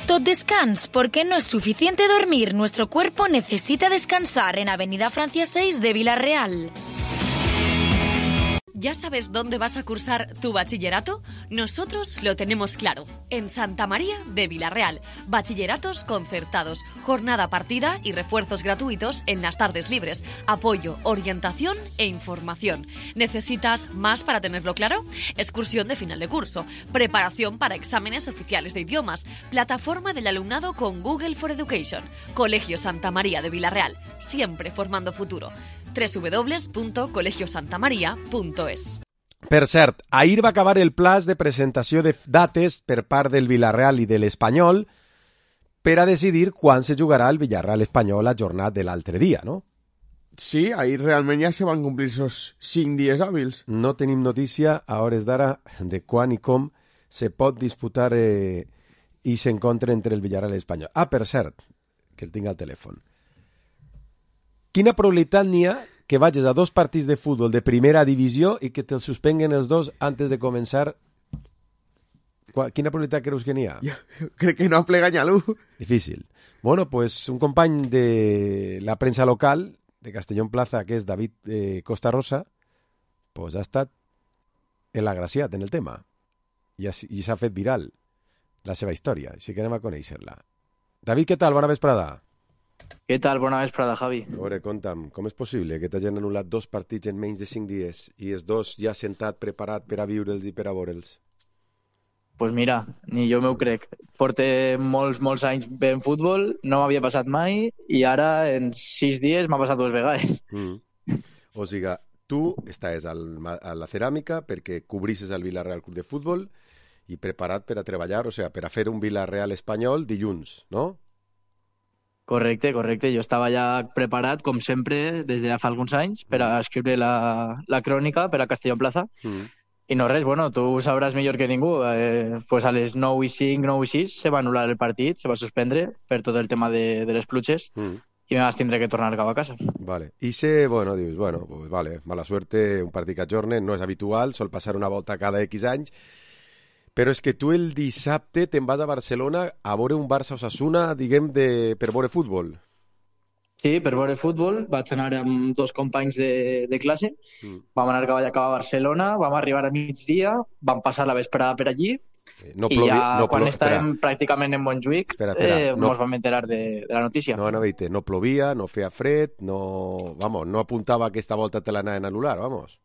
Tot descans, porque no es suficiente dormir. Nuestro cuerpo necesita descansar en Avenida Francia seis de Villarreal. ¿Ya sabes dónde vas a cursar tu bachillerato? Nosotros lo tenemos claro, en Santa María de Villarreal. Bachilleratos concertados, jornada partida y refuerzos gratuitos en las tardes libres. Apoyo, orientación e información. ¿Necesitas más para tenerlo claro? Excursión de final de curso, preparación para exámenes oficiales de idiomas, plataforma del alumnado con Google for Education. Colegio Santa María de Villarreal, siempre formando futuro. doble u doble u doble u punto colegio santa maria punto es. Per cert, ahir va acabar el plaç de presentació de dates per part del Villarreal i de l'Espanyol per a decidir quan se jugarà el Villarreal-Espanyol a jornada de l'altre dia, no? Sí, ahir realment ja se van complir esos cinc dies hàbils. No tenim notícia a hores d'ara de quan i com se pot disputar eh, i s'encontre entre el Villarreal i l'Espanyol. Ah, per cert, que el tinc al telèfon. Quina probabilitat n'hi ha que vagis a dos partits de futbol de primera divisió i que te'ls suspenguen els dos antes de començar? Quina probabilitat creus que n'hi ha? Jo, jo crec que no aplega ningú. Difícil. Bueno, pues un company de la premsa local de Castellón Plaza, que és David eh, Costa Rosa, pues ha estat el·agraciat en el tema i, i s'ha fet viral la seva història, així que anem a conèixer-la. David, què tal? Bona vesprada. Què tal? Bona vesprada, Javi. A veure, conta'm, com és possible que t'hagin anul·lat dos partits en menys de cinc dies i els dos ja sentat, preparat per a viure'ls i per a veure'ls? Pues mira, ni jo m'ho crec. Porte molts, molts anys veient futbol, no m'havia passat mai i ara en sis dies m'ha passat dues vegades. Mm. O sigui, tu estàs al, a la ceràmica perquè cobrisses el Villarreal Club de Futbol i preparat per a treballar, o sigui, per a fer un Villarreal espanyol dilluns, no? Correcte, correcte. Jo estava ja preparat, com sempre, des de fa alguns anys, per a escriure la, la crònica per a Castellón Plaza. Mm. I no res, bueno, tu ho sabràs millor que ningú. Eh, pues a les nou i cinc, nou i sis se va anul·lar el partit, se va suspendre per tot el tema de, de les pluges mm. i me vas tindre que tornar cap a casa. Vale. I se, bueno, dius, bueno, pues vale, mala suerte, un partit que ajornen, no és habitual, sol passar una volta cada X anys. Però és que tu el dissabte te'n vas a Barcelona a veure un Barça-Osasuna, diguem, de, per veure futbol. Sí, per veure futbol. Vaig anar amb dos companys de, de classe. Mm. Vam anar cap a, cap a Barcelona, vam arribar a migdia, vam passar la vesprada per allí no plovi, i ja no quan plo... estàvem espera. pràcticament en Montjuïc espera, espera. Eh, no. ens vam enterar de, de la notícia. No, no, veite, no plovia, no feia fred, no, vamos, no apuntava que aquesta volta te l'anaven a anul·lar, vamos.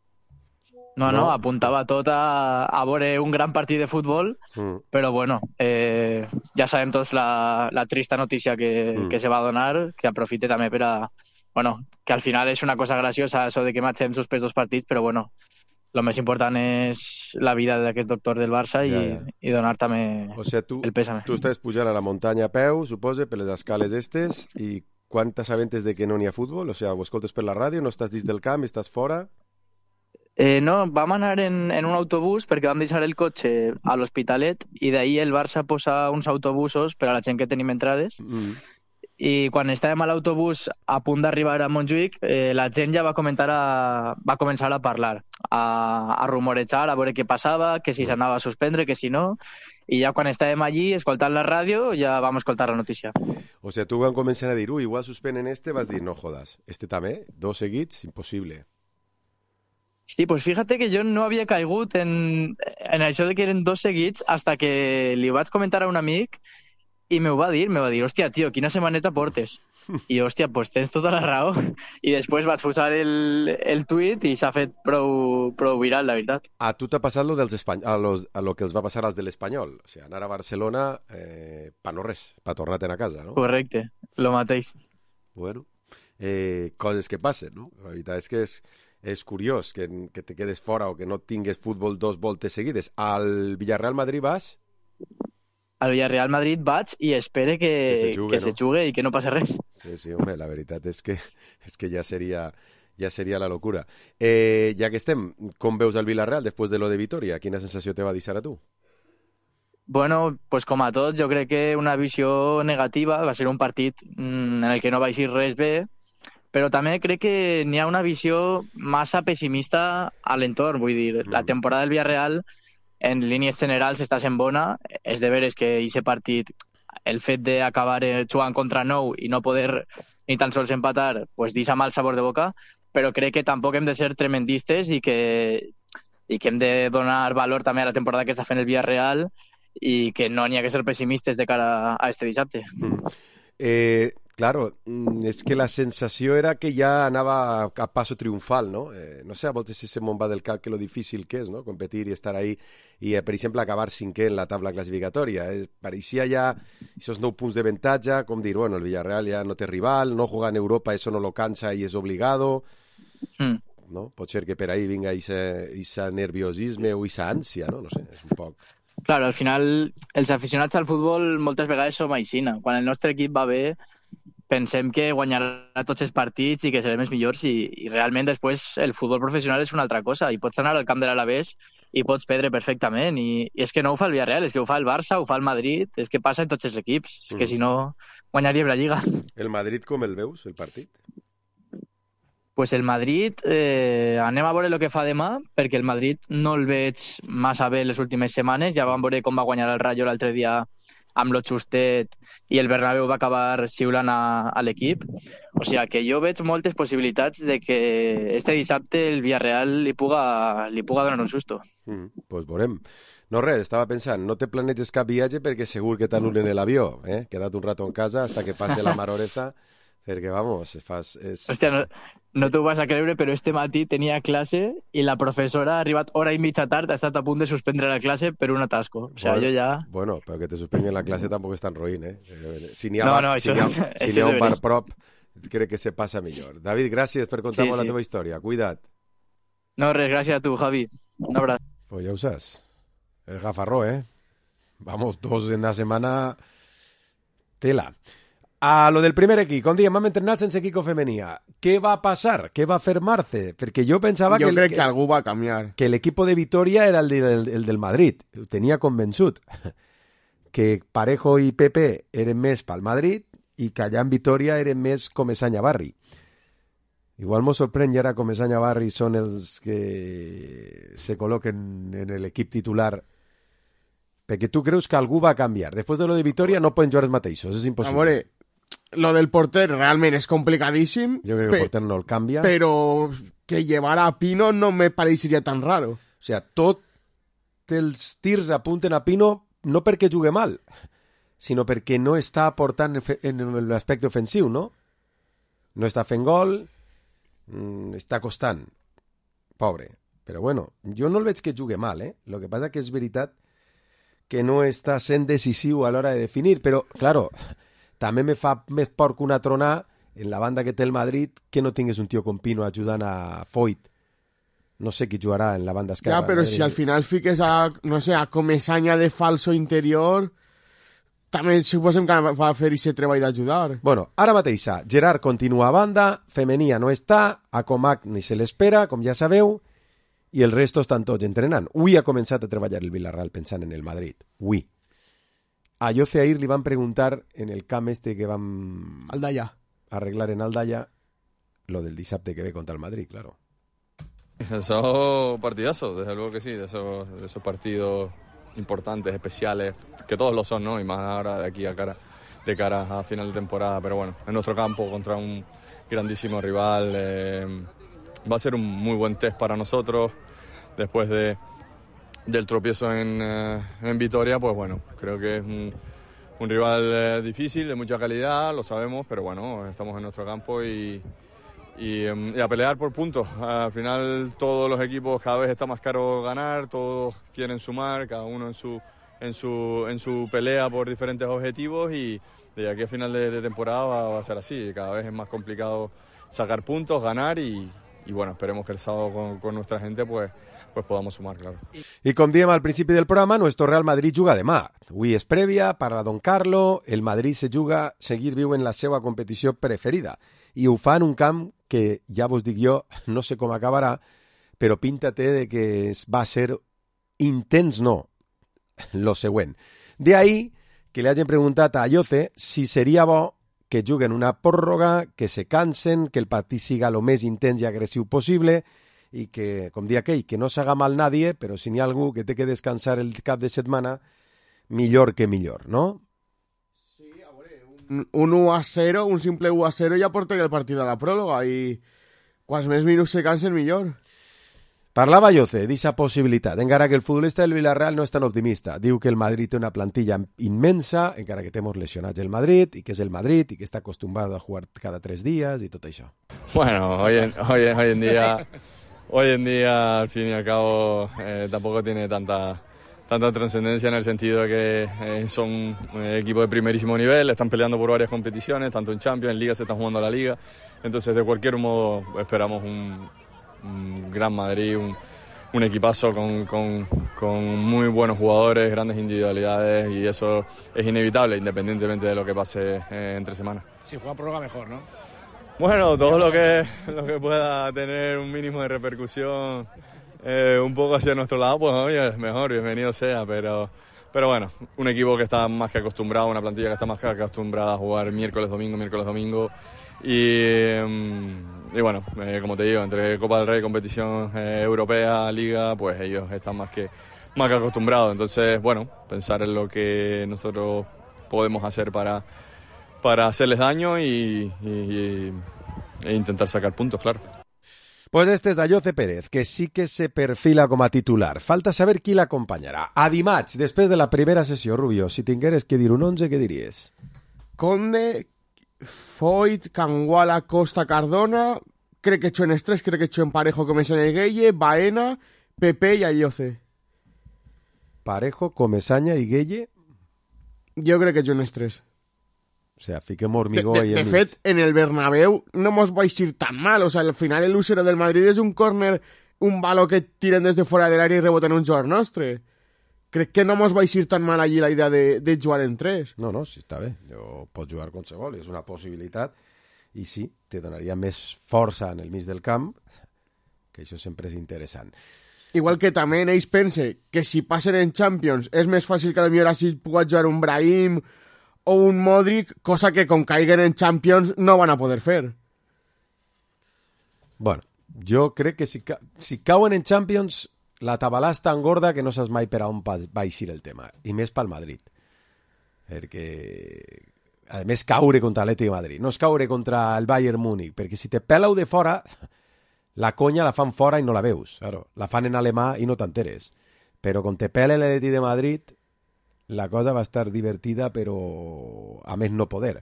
No, no, no, apuntava tot a, a veure un gran partit de futbol, mm. però bueno, eh, ja sabem tots la, la trista notícia que, mm. que se va donar, que aprofite també per a... Bueno, que al final és una cosa graciosa això de que matxem suspès dos partits, però bueno, el més important és la vida d'aquest doctor del Barça ja, i, ja. i donar també o sea, tu, el pèsame. Tu estàs pujant a la muntanya a peu, supose, per les escales estes, i quan t'assabentes de que no n'hi ha futbol? O sigui, ho escoltes per la ràdio, no estàs dins del camp, estàs fora... Eh, no, vam anar en, en un autobús perquè vam deixar el cotxe a l'Hospitalet i d'ahir el Barça posa uns autobusos per a la gent que tenim entrades mm. i quan estàvem a l'autobús a punt d'arribar a Montjuïc eh, la gent ja va, comentar a, va començar a parlar, a, a rumorejar, a veure què passava, que si s'anava a suspendre, que si no, i ja quan estàvem allí escoltant la ràdio ja vam escoltar la notícia. O sigui, tu quan comencen a dir, ui, igual suspenen este, vas dir, no jodas, este també, dos seguits, impossible. Sí, pues fíjate que jo no havia caigut en, en això de que eren dos seguits hasta que li ho vaig comentar a un amic i m'ho va dir, me va dir, hòstia, tio, quina setmaneta portes. I, hòstia, pues tens tota la raó. I després vaig posar el, el tuit i s'ha fet prou, prou viral, la veritat. A tu t'ha passat lo dels espany... a, los, a lo que els va passar als de l'Espanyol. O sigui, anar a Barcelona eh, pa no res, pa tornar-te'n a casa, no? Correcte, lo mateix. Bueno, eh, coses que passen, no? La veritat és que és, és curiós que, que te quedes fora o que no tingues futbol dos voltes seguides. Al Villarreal Madrid vas... Al Villarreal Madrid vaig i espere que, que, se jugue, que no? se jugue i que no passi res. Sí, sí, home, la veritat és que, és que ja seria, ja seria la locura. Eh, ja que estem, com veus el Villarreal després de lo de Vitoria? Quina sensació te va deixar a tu? Bueno, pues com a tot, jo crec que una visió negativa, va ser un partit mmm, en el que no va eixir res bé, però també crec que n'hi ha una visió massa pessimista a l'entorn, vull dir, mm. la temporada del Villarreal en línies generals està sent bona, és de veres que aquest partit, el fet d'acabar jugant contra nou i no poder ni tan sols empatar, pues deixa mal sabor de boca, però crec que tampoc hem de ser tremendistes i que, i que hem de donar valor també a la temporada que està fent el Villarreal i que no n'hi ha que ser pessimistes de cara a este dissabte. Mm. Eh, claro, és que la sensació era que ja anava a passo triomfal, no? Eh, no sé, a voltes si se me'n va del cap que lo difícil que és, no? Competir i estar ahí i, eh, per exemple, acabar cinquè en la tabla classificatòria. Eh, pareixia ja esos nou punts de avantatge, com dir, bueno, el Villarreal ja no té rival, no jugar en Europa, eso no lo cansa i és obligado. Mm. No? Pot ser que per ahí vinga ese nerviosisme o esa ànsia, no? No sé, és un poc... Claro, al final, els aficionats al futbol moltes vegades som aixina. Quan el nostre equip va bé, pensem que guanyarà tots els partits i que serem els millors i, i realment després el futbol professional és una altra cosa i pots anar al camp de l'Alavés i pots perdre perfectament i, i és que no ho fa el Villarreal, és que ho fa el Barça, ho fa el Madrid, és que passa en tots els equips, és que si no guanyaríem la Lliga. El Madrid com el veus, el partit? Pues el Madrid, eh, anem a veure el que fa demà, perquè el Madrid no el veig massa bé les últimes setmanes. Ja vam veure com va guanyar el Rayo l'altre dia amb lo justet i el Bernabéu va acabar xiulant a, a l'equip. O sigui que jo veig moltes possibilitats de que este dissabte el Villarreal li puga, li puga donar un susto. Mm, pues veurem. No res, estava pensant, no te planeges cap viatge perquè segur que t'anulen l'avió, eh? Queda't un rato en casa hasta que passe la maror esta, perquè, vamos, fas... És... Hòstia, no, no t'ho vas a creure, però este matí tenia classe i la professora ha arribat hora i mitja tard, ha estat a punt de suspendre la classe per un atasco. O sigui, bueno, jo ja... Bueno, però que te suspenguen la classe tampoc és tan roïn, eh? Si n'hi ha, no, bar, no, si això, n'hi ha, si això n'hi ha un bar prop, crec que se passa millor. David, gràcies per contar-me sí, sí. la teva història. Cuida't. No, res, gràcies a tu, Javi. Un abraç. Pues ja ho saps. És gafarró, eh? Vamos, dos en la setmana... Tela. A lo del primer equip, com diem, vam entrenar sense equip femenia. Què va passar? Què va fer Marce? Perquè jo pensava jo que... Jo crec que, que algú va canviar. Que l'equip de Vitoria era el, de, el, el del Madrid. Ho tenia convençut. Que Parejo i Pepe eren més pel Madrid i que allà en Vitoria eren més Comesaña Barri. Igual m'ho sorprèn i ara Comesaña Barri són els que se col·loquen en l'equip titular. Perquè tu creus que algú va canviar. Després de lo de Vitoria no poden jugar els mateixos, és impossible. Amore, lo del porter realment és complicadíssim. Jo crec que el porter no el canvia. Però que llevara a Pino no me pareixeria tan raro. O sigui, tots els tirs apunten a Pino no perquè jugui mal, sinó perquè no està aportant en l'aspecte ofensiu, no? No està fent gol, està costant. Pobre. Però bueno, jo no el veig que jugui mal, eh? Lo que passa que és veritat que no està sent decisiu a l'hora de definir, però, claro, també me fa més por que una tronà en la banda que té el Madrid que no tingués un tio com Pino ajudant a Foyt. No sé qui jugarà en la banda esquerra. Ja, però si al final fiques a, no sé, a Comesaña de falso interior, també suposem que va fer aquest treball d'ajudar. Bueno, ara mateixa, Gerard continua a banda, Femenia no està, a Comac ni se l'espera, com ja sabeu, i el resto estan tots entrenant. Avui ha començat a treballar el Villarreal pensant en el Madrid. Avui. A Jose Air li van preguntar en el camp este que vam... Aldaya. Arreglar en Aldaya lo del dissabte que ve contra el Madrid, claro. Eso partidazo, desde luego que sí, de esos, de esos partidos importantes, especiales, que todos lo son, ¿no? Y más ahora de aquí a cara, de cara a final de temporada, pero bueno, en nuestro campo contra un grandísimo rival, eh, va a ser un muy buen test para nosotros, después de, del tropiezo en, eh, en Vitoria, pues bueno, creo que es un, un rival eh, difícil, de mucha calidad, lo sabemos, pero bueno, estamos en nuestro campo y, y, y a pelear por puntos. Al final todos los equipos cada vez está más caro ganar, todos quieren sumar, cada uno en su, en su, en su pelea por diferentes objetivos y de aquí a final de, de temporada va, va a ser así, cada vez es más complicado sacar puntos, ganar y, y bueno, esperemos que el sábado con, con nuestra gente pues, pues podamos sumar, claro. I com diem al principi del programa, nuestro Real Madrid juga demà. Avui és prèvia, parla Don Carlo, el Madrid se juga, seguir viu en la seva competició preferida. I ho fa en un camp que, ja vos dic jo, no sé com acabarà, però pinta-te de que va ser intens, no, lo següent. De ahí que li hagin preguntat a Ayoce si seria bo que juguen una pròrroga, que se cansen, que el partit siga lo més intens i agressiu possible i que, com dia aquell, que no s'haga mal nadie, però si n'hi ha algú que té que descansar el cap de setmana, millor que millor, no? Un, un u a cero, un simple u a cero ja portaria el partit a la pròrroga i quants més minuts se cansen millor. Parlava Ayoce d'eixa possibilitat, encara que el futbolista del Villarreal no és tan optimista. Diu que el Madrid té una plantilla immensa, encara que té molts lesionats el Madrid, i que és el Madrid, i que està acostumbrat a jugar cada tres dies, i tot això. Bueno, hoy en, hoy, hoy en día, hoy en día, al fin y al cabo, eh, tampoco tiene tanta, tanta trascendencia en el sentido de que eh, son eh, equipos de primerísimo nivel, están peleando por varias competiciones, tanto en Champions, en Liga se están jugando a la Liga, entonces de cualquier modo esperamos un... un gran Madrid, un, un equipazo con, con, con muy buenos jugadores, grandes individualidades y eso es inevitable independientemente de lo que pase eh, entre semanas. Si juega prórroga mejor, ¿no? Bueno, todo lo que, lo que pueda tener un mínimo de repercusión eh, un poco hacia nuestro lado, pues oye, es mejor, bienvenido sea, pero, pero bueno, un equipo que está más que acostumbrado, una plantilla que está más que acostumbrada a jugar miércoles, domingo, miércoles, domingo. Y, y bueno, eh, como te digo, entre Copa del Rey, competición eh, europea, Liga, pues ellos están más que, más que acostumbrados. Entonces, bueno, pensar en lo que nosotros podemos hacer para, para hacerles daño y, y, y, e intentar sacar puntos, claro. Pues este és Ayoce Pérez, que sí que se perfila com a titular. Falta saber qui l'acompanyarà. A dimarts, després de la primera sessió, Rubio, si tingueres que dir un onze, què diries? Conde, Foyt, Canguala, Costa, Cardona, crec que echó en estrés, crec que echó en Parejo, Comesaña y Gueye, Baena, Pepe y Ayoce. Parejo, Comesaña y Gueye? Jo crec que echó en estrés. O sea, fiquem hormigó de, de, ahí en de fet, en el Bernabéu no mos vais a ir tan mal. O sea, al final el úsero del Madrid és un córner, un balo que tiren des de fora de l'àrea i reboten un jugador nostre. Crec que no mos vais a ir tan mal allí la idea de, de jugar en tres. No, no, sí, està bé. Jo pots jugar qualsevol, és una possibilitat. I sí, te donaria més força en el mig del camp, que això sempre és interessant. Igual que també ells pense que si passen en Champions és més fàcil que potser així pugui jugar un Brahim o un Modric, cosa que com caiguen en Champions no van a poder fer. Bueno, jo crec que si, ca si cauen en Champions la tabalà és tan gorda que no saps mai per a on va eixir el tema, i més pel Madrid. Perquè, a més, caure contra l'Atlètic de Madrid, no és caure contra el Bayern Múnich, perquè si te peleu de fora, la conya la fan fora i no la veus. Claro, la fan en alemà i no t'enteres. Però quan te pele l'Atlètic de Madrid, la cosa va estar divertida, però a més no poder.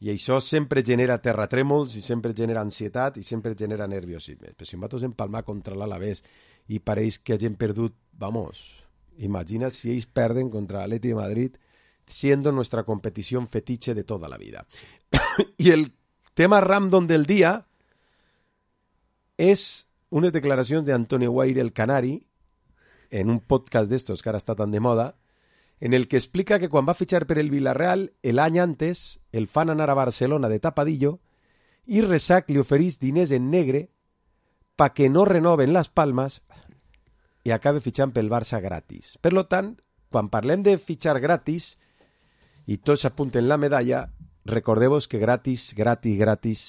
I això sempre genera terratrèmols, i sempre genera ansietat, i sempre genera nerviosisme. Però si nosaltres empalmar contra l'Alavés i pareix que hagin perdut, vamos, imagina si ells perden contra l'Atlètic de Madrid, siendo nuestra competición fetiche de toda la vida. Y el tema random del día es unas declaracions de Antonio Guaire, el canari, en un podcast d'estos que ara està tan de moda, en el que explica que quan va fitxar per el Villarreal, el any antes el fan anar a Barcelona de tapadillo i Resac li oferís diners en negre pa que no renoven les palmes i acabe fitxant pel Barça gratis. Per lo tant, quan parlem de fitxar gratis i tots apunten la medalla, recordeu-vos que gratis, gratis, gratis,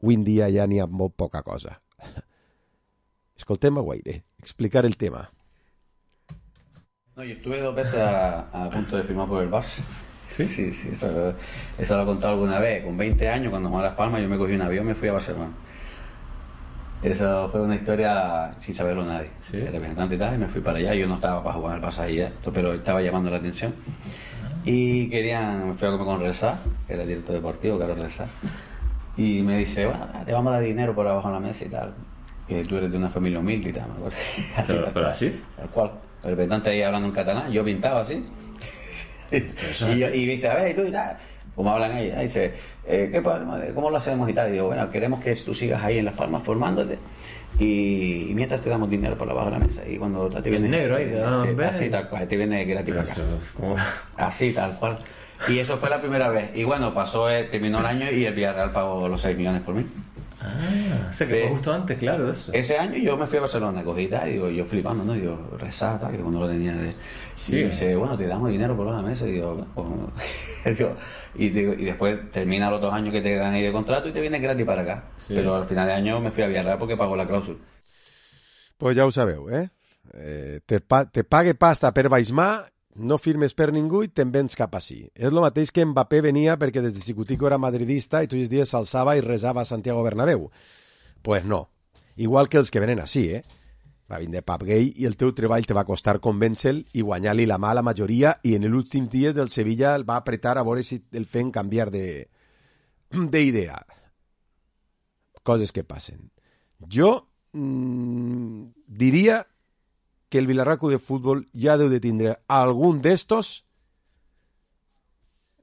avui en dia ja n'hi ha molt poca cosa. Escoltem a Guaire explicar el tema. No, yo estuve dos veces a, a punto de firmar por el Barça. Sí, sí, sí, eso, eso lo he contado alguna vez. Con veinte años, cuando jugaba Las Palmas, yo me cogí un avión y me fui a Barcelona. Eso fue una historia sin saberlo nadie. ¿Sí? El representante y tal, y me fui para allá. Yo no estaba para jugar en el Barça ya, pero estaba llamando la atención. y querían, me fui a comer con Reza, que era el director deportivo, Carlos Reza, y me dice, bueno, te vamos a dar dinero por abajo en la mesa y tal, que tú eres de una familia humilde y tal, me acuerdo. Así, pero, tal, pero cual, así. Tal cual. El representante ahí hablando en catalán, yo pintaba así. y, yo, y dice, a ver, y tú y tal. Como hablan ahí, ahí dice, eh, ¿qué podemos, ¿cómo lo hacemos y tal? Y digo, bueno, queremos que tú sigas ahí en Las Palmas formándote. Y, y mientras te damos dinero por debajo de la mesa y cuando te viene el negro ahí de, ah, te, así tal cual te viene gratis para acá ¿cómo? Así tal cual y eso fue la primera vez y bueno pasó eh, terminó el año y el Villarreal pagó los seis millones por mí. Ah, o sea que fue justo antes, claro, de eso. Ese año yo me fui a Barcelona, cogí y tal, y digo, yo flipando, ¿no? Digo, rezata, que cuando lo tenía de... Sí. Y dice, bueno, te damos dinero por la mesa, y digo, bueno, digo, y, digo, y después termina los dos años que te dan ahí de contrato y te vienes gratis para acá. Sí. Pero al final de año me fui a Villarreal porque pagó la clàusula. Pues ja ho sabeu, eh? eh te, pa te pague pasta per baixmar, no firmes per ningú i te'n vens cap així. És el mateix que Mbappé venia perquè des de Xicutico era madridista i tots els dies s'alçava i resava a Santiago Bernabéu. Pues no. Igual que els que venen així, eh? Va vindre Pap Gay i el teu treball te va costar convèncer-lo i guanyar-li la mà a la majoria i en els últims dies del Sevilla el va apretar a veure si el feien canviar de d'idea. Coses que passen. Jo mmm, diria que el Vilarraco de futbol ja deu de tindre algun d'estos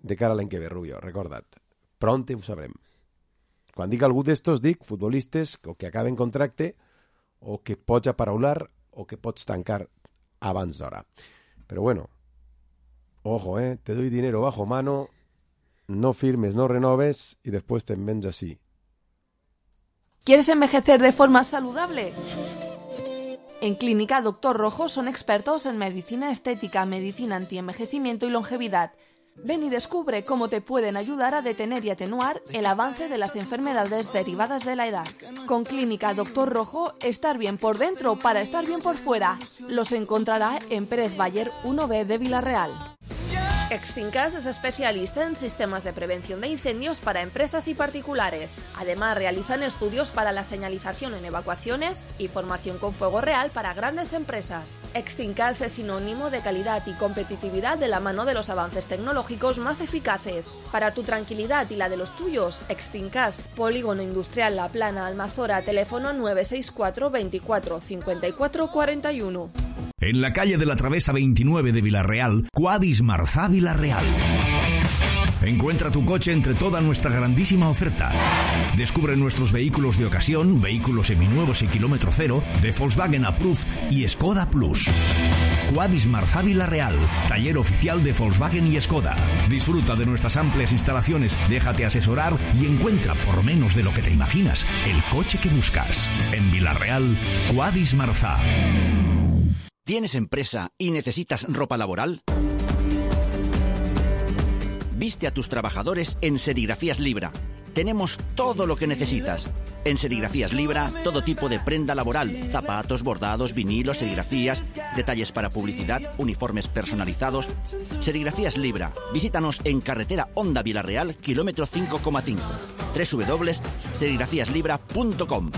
de cara a l'any que ve, Rubio, recorda't. Pronte ho sabrem. Quan dic algú d'estos, dic futbolistes o que acaben contracte o que pots aparaular o que pots tancar abans d'hora. Però bueno, ojo, eh, te doy dinero bajo mano, no firmes, no renoves y después te vens así. ¿Quieres envejecer de forma saludable? En Clínica Doctor Rojo son expertos en medicina estética, medicina antienvejecimiento y longevidad. Ven y descubre cómo te pueden ayudar a detener y atenuar el avance de las enfermedades derivadas de la edad. Con Clínica Doctor Rojo, estar bien por dentro para estar bien por fuera. Los encontrará en Pérez Bayer uno B de Villarreal. Extincas es especialista en sistemas de prevención de incendios para empresas y particulares. Además, realizan estudios para la señalización en evacuaciones y formación con fuego real para grandes empresas. Extincas es sinónimo de calidad y competitividad de la mano de los avances tecnológicos más eficaces. Para tu tranquilidad y la de los tuyos, Extincas, Polígono Industrial La Plana, Almazora, teléfono nueve seis cuatro veinticuatro cincuenta y cuatro cuarenta y uno. En la calle de la Travesa veintinueve de Villarreal, Quadis Marzá Villarreal. Encuentra tu coche entre toda nuestra grandísima oferta. Descubre nuestros vehículos de ocasión, vehículos seminuevos y kilómetro cero, de Volkswagen Approved y Skoda Plus. Quadis Marzá Villarreal, taller oficial de Volkswagen y Skoda. Disfruta de nuestras amplias instalaciones, déjate asesorar y encuentra por menos de lo que te imaginas el coche que buscas. En Villarreal, Quadis Marzá. ¿Tienes empresa y necesitas ropa laboral? Viste a tus trabajadores en Serigrafías Libra. Tenemos todo lo que necesitas. En Serigrafías Libra, todo tipo de prenda laboral, zapatos, bordados, vinilos, serigrafías, detalles para publicidad, uniformes personalizados. Serigrafías Libra. Visítanos en carretera Honda Villarreal, kilómetro cinco coma cinco. doble u doble u doble u punto serigrafías libra punto com.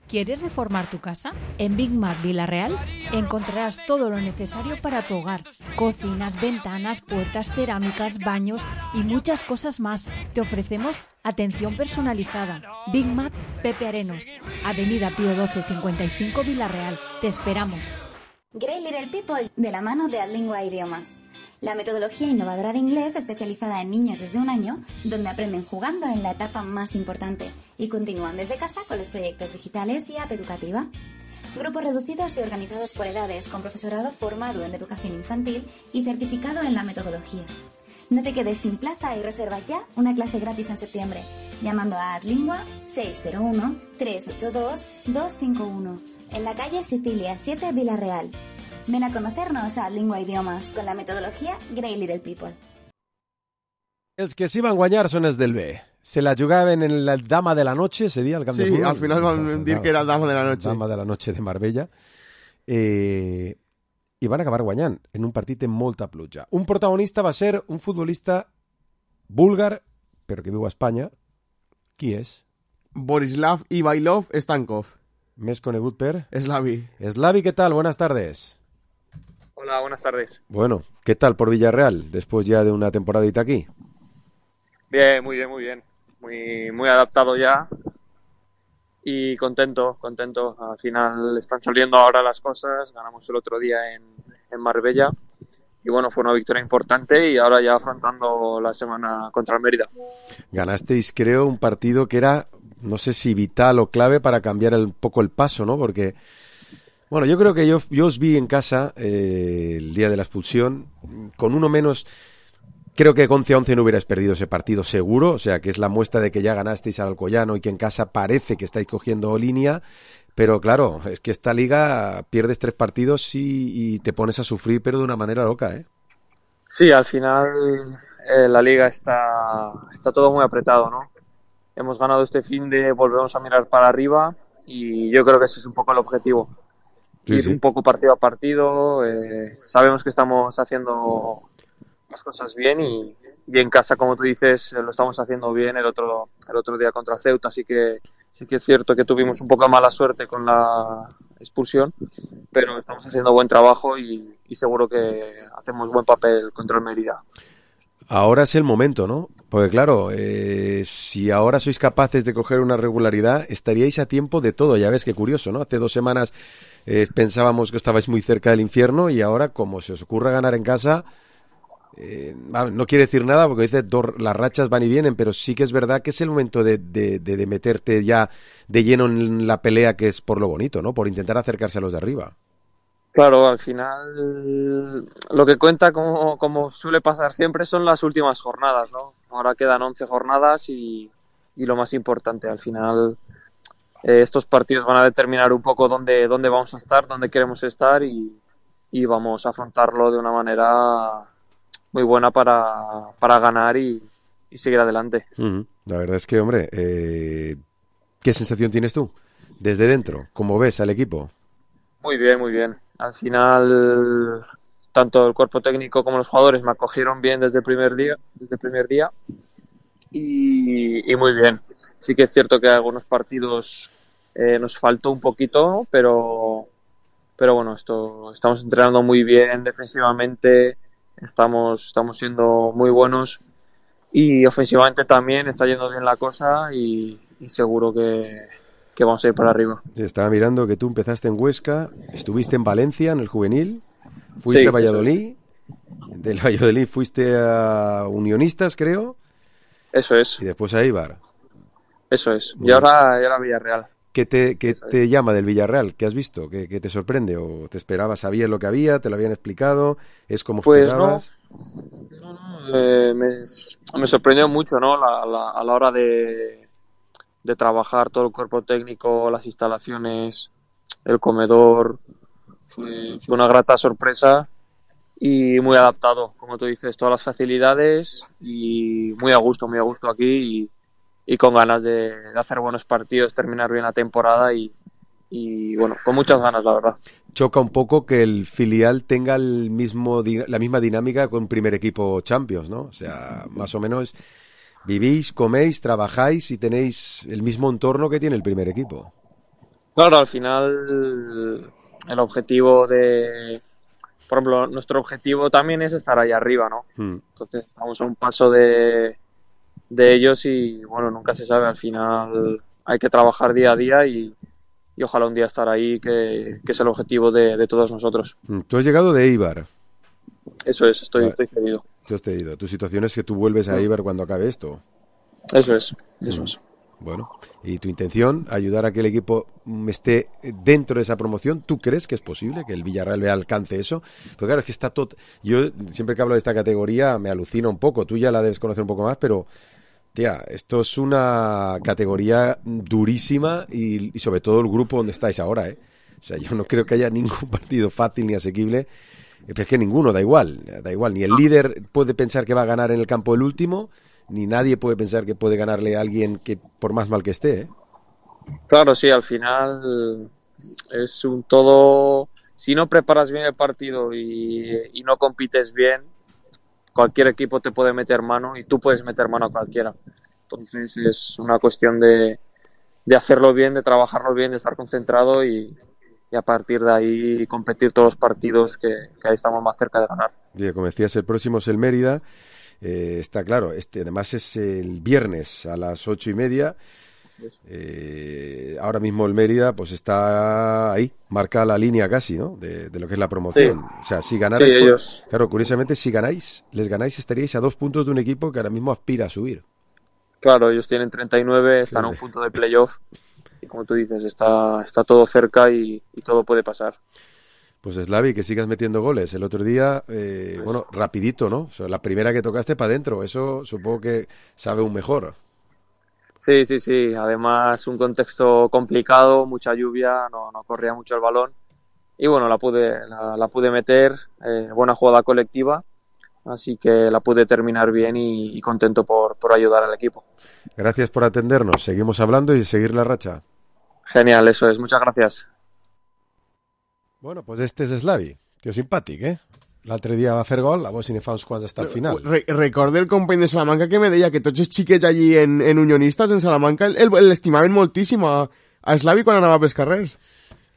¿Quieres reformar tu casa? En Big Mac Villarreal encontrarás todo lo necesario para tu hogar. Cocinas, ventanas, puertas, cerámicas, baños y muchas cosas más. Te ofrecemos atención personalizada. Big Mac Pepe Arenos, Avenida Pío doce cincuenta y cinco Villarreal. Te esperamos. Great Little People, de la mano de Adlingua Idiomas. La metodología innovadora de inglés especializada en niños desde un año, donde aprenden jugando en la etapa más importante y continúan desde casa con los proyectos digitales y app educativa. Grupos reducidos y organizados por edades, con profesorado formado en educación infantil y certificado en la metodología. No te quedes sin plaza y reserva ya una clase gratis en septiembre, llamando a Adlingua seis cero uno, tres ocho dos, dos cinco uno, en la calle Sicilia siete Villarreal. Ven a conocernos a Lingua Idiomas con la metodología Great Little People. Els que sí van guanyar són els del B. Se la jugaven en la Dama de la Noche, ese dia, al camp sí, de futbol. Sí, al final van dir que era Dama de la Noche. Dama de la Noche de Marbella. Eh, I van acabar guanyant en un partit amb molta pluja. Un protagonista va ser un futbolista búlgar, però que viu a Espanya. Qui és? Borislav Ivailov Stankov. Més conegut per... Slavi. Slavi, ¿qué tal? Buenas tardes. Hola, buenas tardes. Bueno, ¿Qué tal por Villarreal, después ya de una temporadita aquí? Bien, muy bien, muy bien. Muy, muy adaptado ya y contento, contento. Al final están saliendo ahora las cosas. Ganamos el otro día en, en Marbella y bueno, fue una victoria importante y ahora ya afrontando la semana contra el Mérida. Ganasteis, creo, un partido que era, no sé si vital o clave para cambiar un poco el paso, ¿no? Porque, bueno, yo creo que yo, yo os vi en casa eh, el día de la expulsión, con uno menos. Creo que once a once no hubierais perdido ese partido seguro, o sea que es la muestra de que ya ganasteis al Alcoyano y que en casa parece que estáis cogiendo línea, pero claro, es que esta liga pierdes tres partidos y, y te pones a sufrir, pero de una manera loca, ¿eh? Sí, al final eh, la liga está, está todo muy apretado, ¿no? Hemos ganado este fin de, volvemos a mirar para arriba y yo creo que ese es un poco el objetivo. Sí, Ir sí. un poco partido a partido, eh, sabemos que estamos haciendo las cosas bien y, y en casa, como tú dices, lo estamos haciendo bien el otro el otro día contra Ceuta, así que sí que es cierto que tuvimos un poco de mala suerte con la expulsión, pero estamos haciendo buen trabajo y, y seguro que hacemos buen papel contra el Mérida. Ahora es el momento, ¿no? Porque claro, eh, si ahora sois capaces de coger una regularidad, estaríais a tiempo de todo. Ya ves qué curioso, ¿no? Hace dos semanas eh, pensábamos que estabais muy cerca del infierno y ahora, como se os ocurra ganar en casa, eh, no quiere decir nada porque dice dos, las rachas van y vienen, pero sí que es verdad que es el momento de, de, de, de meterte ya de lleno en la pelea, que es por lo bonito, ¿no? Por intentar acercarse a los de arriba. Claro, al final lo que cuenta, como, como suele pasar siempre, son las últimas jornadas, ¿no? Ahora quedan once jornadas y, y lo más importante, al final eh, estos partidos van a determinar un poco dónde, dónde vamos a estar, dónde queremos estar y, y vamos a afrontarlo de una manera muy buena para, para ganar y, y seguir adelante. Uh-huh. La verdad es que, hombre, eh, ¿qué sensación tienes tú desde dentro? ¿Cómo ves al equipo? Muy bien, muy bien. Al final, tanto el cuerpo técnico como los jugadores me acogieron bien desde el primer día, desde el primer día y, y muy bien. Sí que es cierto que algunos partidos eh, nos faltó un poquito, pero, pero bueno, esto estamos entrenando muy bien defensivamente, estamos, estamos siendo muy buenos y ofensivamente también está yendo bien la cosa y, y seguro que, que vamos a ir para arriba. Estaba mirando que tú empezaste en Huesca, estuviste en Valencia en el juvenil, fuiste Sí, a Valladolid, del Valladolid fuiste a Unionistas, creo. Eso es. Y después a Eibar. Eso es. Muy Y ahora, y ahora Villarreal. ¿Qué te, qué te llama del Villarreal? ¿Qué has visto? ¿Qué, qué te sorprende? ¿O te esperabas, sabías lo que había, te lo habían explicado? ¿Es como Pues esperabas? no, no, no eh, me, me sorprendió mucho, ¿no? La, la, a la hora de, de trabajar todo el cuerpo técnico, las instalaciones, el comedor. Fue, fue una grata sorpresa y muy adaptado, como tú dices, todas las facilidades y muy a gusto, muy a gusto aquí y, y con ganas de, de hacer buenos partidos, terminar bien la temporada y, y bueno, con muchas ganas, la verdad. Choca un poco que el filial tenga el mismo la misma dinámica con primer equipo Champions, ¿no? O sea, más o menos vivís, coméis, trabajáis y tenéis el mismo entorno que tiene el primer equipo. Claro, al final el objetivo de... Por ejemplo, nuestro objetivo también es estar ahí arriba, ¿no? Hmm. Entonces, estamos a un paso de, de ellos y, bueno, nunca se sabe. Al final hay que trabajar día a día y, y ojalá un día estar ahí, que, que es el objetivo de, de todos nosotros. Tú has llegado de Eibar. Eso es, estoy, Vale. estoy cedido. Tú has cedido. Tu situación es que tú vuelves a Eibar cuando acabe esto. Eso es, eso es. Bueno, y tu intención, ayudar a que el equipo esté dentro de esa promoción. ¿Tú crees que es posible que el Villarreal alcance eso? Porque claro, es que está todo... Yo siempre que hablo de esta categoría me alucina un poco. Tú ya la debes conocer un poco más, pero... Tía, esto es una categoría durísima y, y sobre todo el grupo donde estáis ahora, ¿eh? O sea, yo no creo que haya ningún partido fácil ni asequible. Es que ninguno, da igual, da igual. Ni el líder puede pensar que va a ganar en el campo el último, ni nadie puede pensar que puede ganarle a alguien que por más mal que esté, ¿eh? Claro, sí, al final es un todo... Si no preparas bien el partido y, y no compites bien, cualquier equipo te puede meter mano y tú puedes meter mano a cualquiera. Entonces es una cuestión de, de hacerlo bien, de trabajarlo bien, de estar concentrado y, y a partir de ahí competir todos los partidos que, que ahí estamos más cerca de ganar. Y como decías, el próximo es el Mérida. Eh, está claro, este además es el viernes a las ocho y media. Eh, ahora mismo el Mérida pues está ahí, marca la línea casi, ¿no? De, de lo que es la promoción. Sí. O sea, si ganáis, sí, ellos... claro, curiosamente, si ganáis, les ganáis, estaríais a dos puntos de un equipo que ahora mismo aspira a subir. Claro, ellos tienen treinta y nueve, están sí, a un punto de playoff y como tú dices, está, está todo cerca y, y todo puede pasar. Pues Slavi, que sigas metiendo goles. El otro día, eh, pues... bueno, rapidito, ¿no? O sea, la primera que tocaste para adentro, eso supongo que sabe aún mejor. Sí, sí, sí. Además, un contexto complicado, mucha lluvia, no, no corría mucho el balón. Y bueno, la pude, la, la pude meter, eh, buena jugada colectiva, así que la pude terminar bien y, y contento por, por ayudar al equipo. Gracias por atendernos. Seguimos hablando y seguir la racha. Genial, eso es. Muchas gracias. Bueno, pues este és Slavi, tio simpàtic, eh? L'altre dia va fer gol, a veure si ne fa uns quants hasta el final. Re Recordo el company de Salamanca que me deia que tots els xiquets allí en, en Unionistes, en Salamanca, l'estimaven moltíssim a, a Slavi quan anava pels carrers.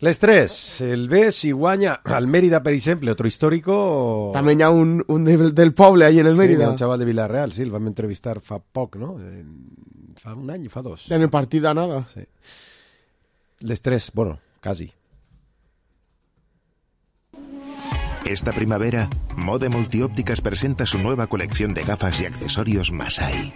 Les tres, el B si guanya al Mérida, per exemple, otro histórico... També hi ha un, un de, del poble allí en el Mérida. Sí, un xaval de Villarreal, sí, el vam entrevistar fa poc, no? Fa un any, fa dos. En el partit d'anada. Sí. Les tres, bueno, casi. Esta primavera, Mode Multiópticas presenta su nueva colección de gafas y accesorios Masai.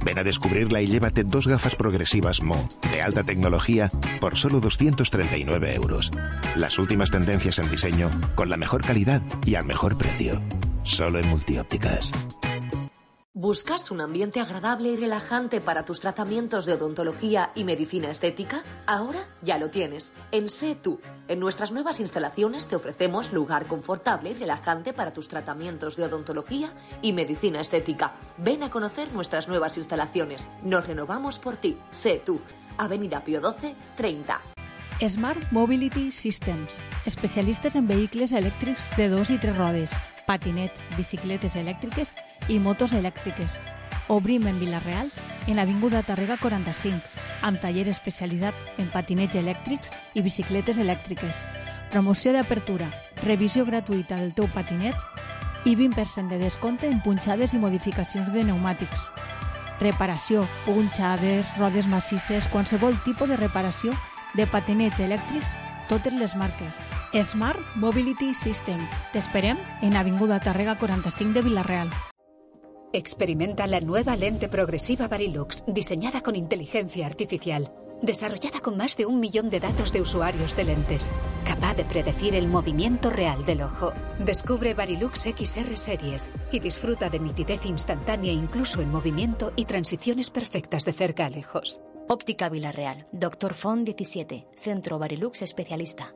Ven a descubrirla y llévate dos gafas progresivas Mo, de alta tecnología, por solo doscientos treinta y nueve euros. Las últimas tendencias en diseño, con la mejor calidad y al mejor precio. Solo en Multiópticas. ¿Buscas un ambiente agradable y relajante para tus tratamientos de odontología y medicina estética? Ahora ya lo tienes. En Sé Tú. En nuestras nuevas instalaciones te ofrecemos lugar confortable y relajante para tus tratamientos de odontología y medicina estética. Ven a conocer nuestras nuevas instalaciones. Nos renovamos por ti. Sé Tú. Avenida Pío doce, treinta. Smart Mobility Systems. Especialistes en vehicles elèctrics de dos i tres rodes, patinets, bicicletes elèctriques i motos elèctriques. Obrim en Vila-real, en Avinguda Tàrrega quaranta-cinc, amb taller especialitzat en patinets elèctrics i bicicletes elèctriques. Promoció d'apertura, revisió gratuïta del teu patinet i vint per cent de descompte en punxades i modificacions de pneumàtics. Reparació, punxades, rodes massisses, qualsevol tipus de reparació de patinets elèctrics, totes les marques. Smart Mobility System. T'esperem en Avinguda Tàrrega quaranta-cinc de Vila-real. Experimenta la nueva lente progresiva Varilux, diseñada con inteligencia artificial, desarrollada con más de un millón de datos de usuarios de lentes, capaz de predecir el movimiento real del ojo. Descubre Varilux X R Series y disfruta de nitidez instantánea incluso en movimiento y transiciones perfectas de cerca a lejos. Óptica Vila-real. Doctor Font diecisiete. Centro Varilux especialista.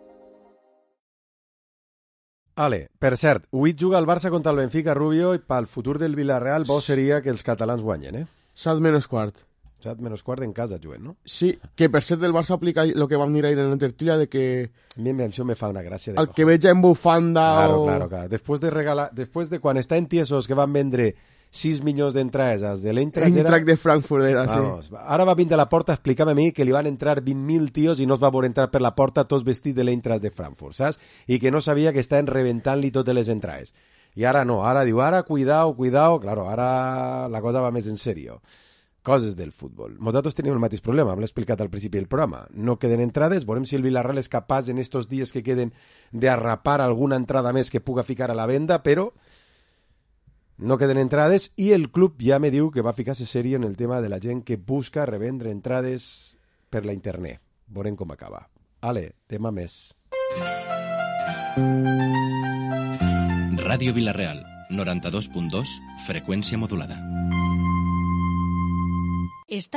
Ale, per cert, avui juga el Barça contra el Benfica, Rubio, i pel futur del Villarreal bo seria que els catalans guanyen, eh? Set menys quart. Set menys quart en casa juguen, no? Sí, que per cert el Barça aplica el que vam dir ahir en la tertúlia de que... A mi això me fa una gràcia. De el que veig en bufanda claro, o... Claro, claro. Després de regalar... Després de quan estan tiesos que van vendre sis milions d'entrades als de l'Eintracht... Eintracht de Frankfurt era, Vamos, sí. Ara va vindre a la porta a explicar-me a mi que li van entrar vint mil tios i no es va veure entrar per la porta tots vestits de l'Eintracht de Frankfurt, saps? I que no sabia que estaven rebentant-li totes les entrades. I ara no, ara diu, ara cuidao, cuidao... Claro, ara la cosa va més en serio. Coses del futbol. Nosaltres tenim el mateix problema, m'ho he explicat al principi del programa. No queden entrades, veurem si el Villarreal és capaç en estos dies que queden de arrapar alguna entrada més que puga ficar a la venda, però no queden entrades i el club ja me diu que va ficar-se serio en el tema de la gent que busca revendre entrades per la internet. Veurem com acaba. Ale, tema més. Ràdio Vila-real, noranta-dos punt dos, freqüència modulada. Esta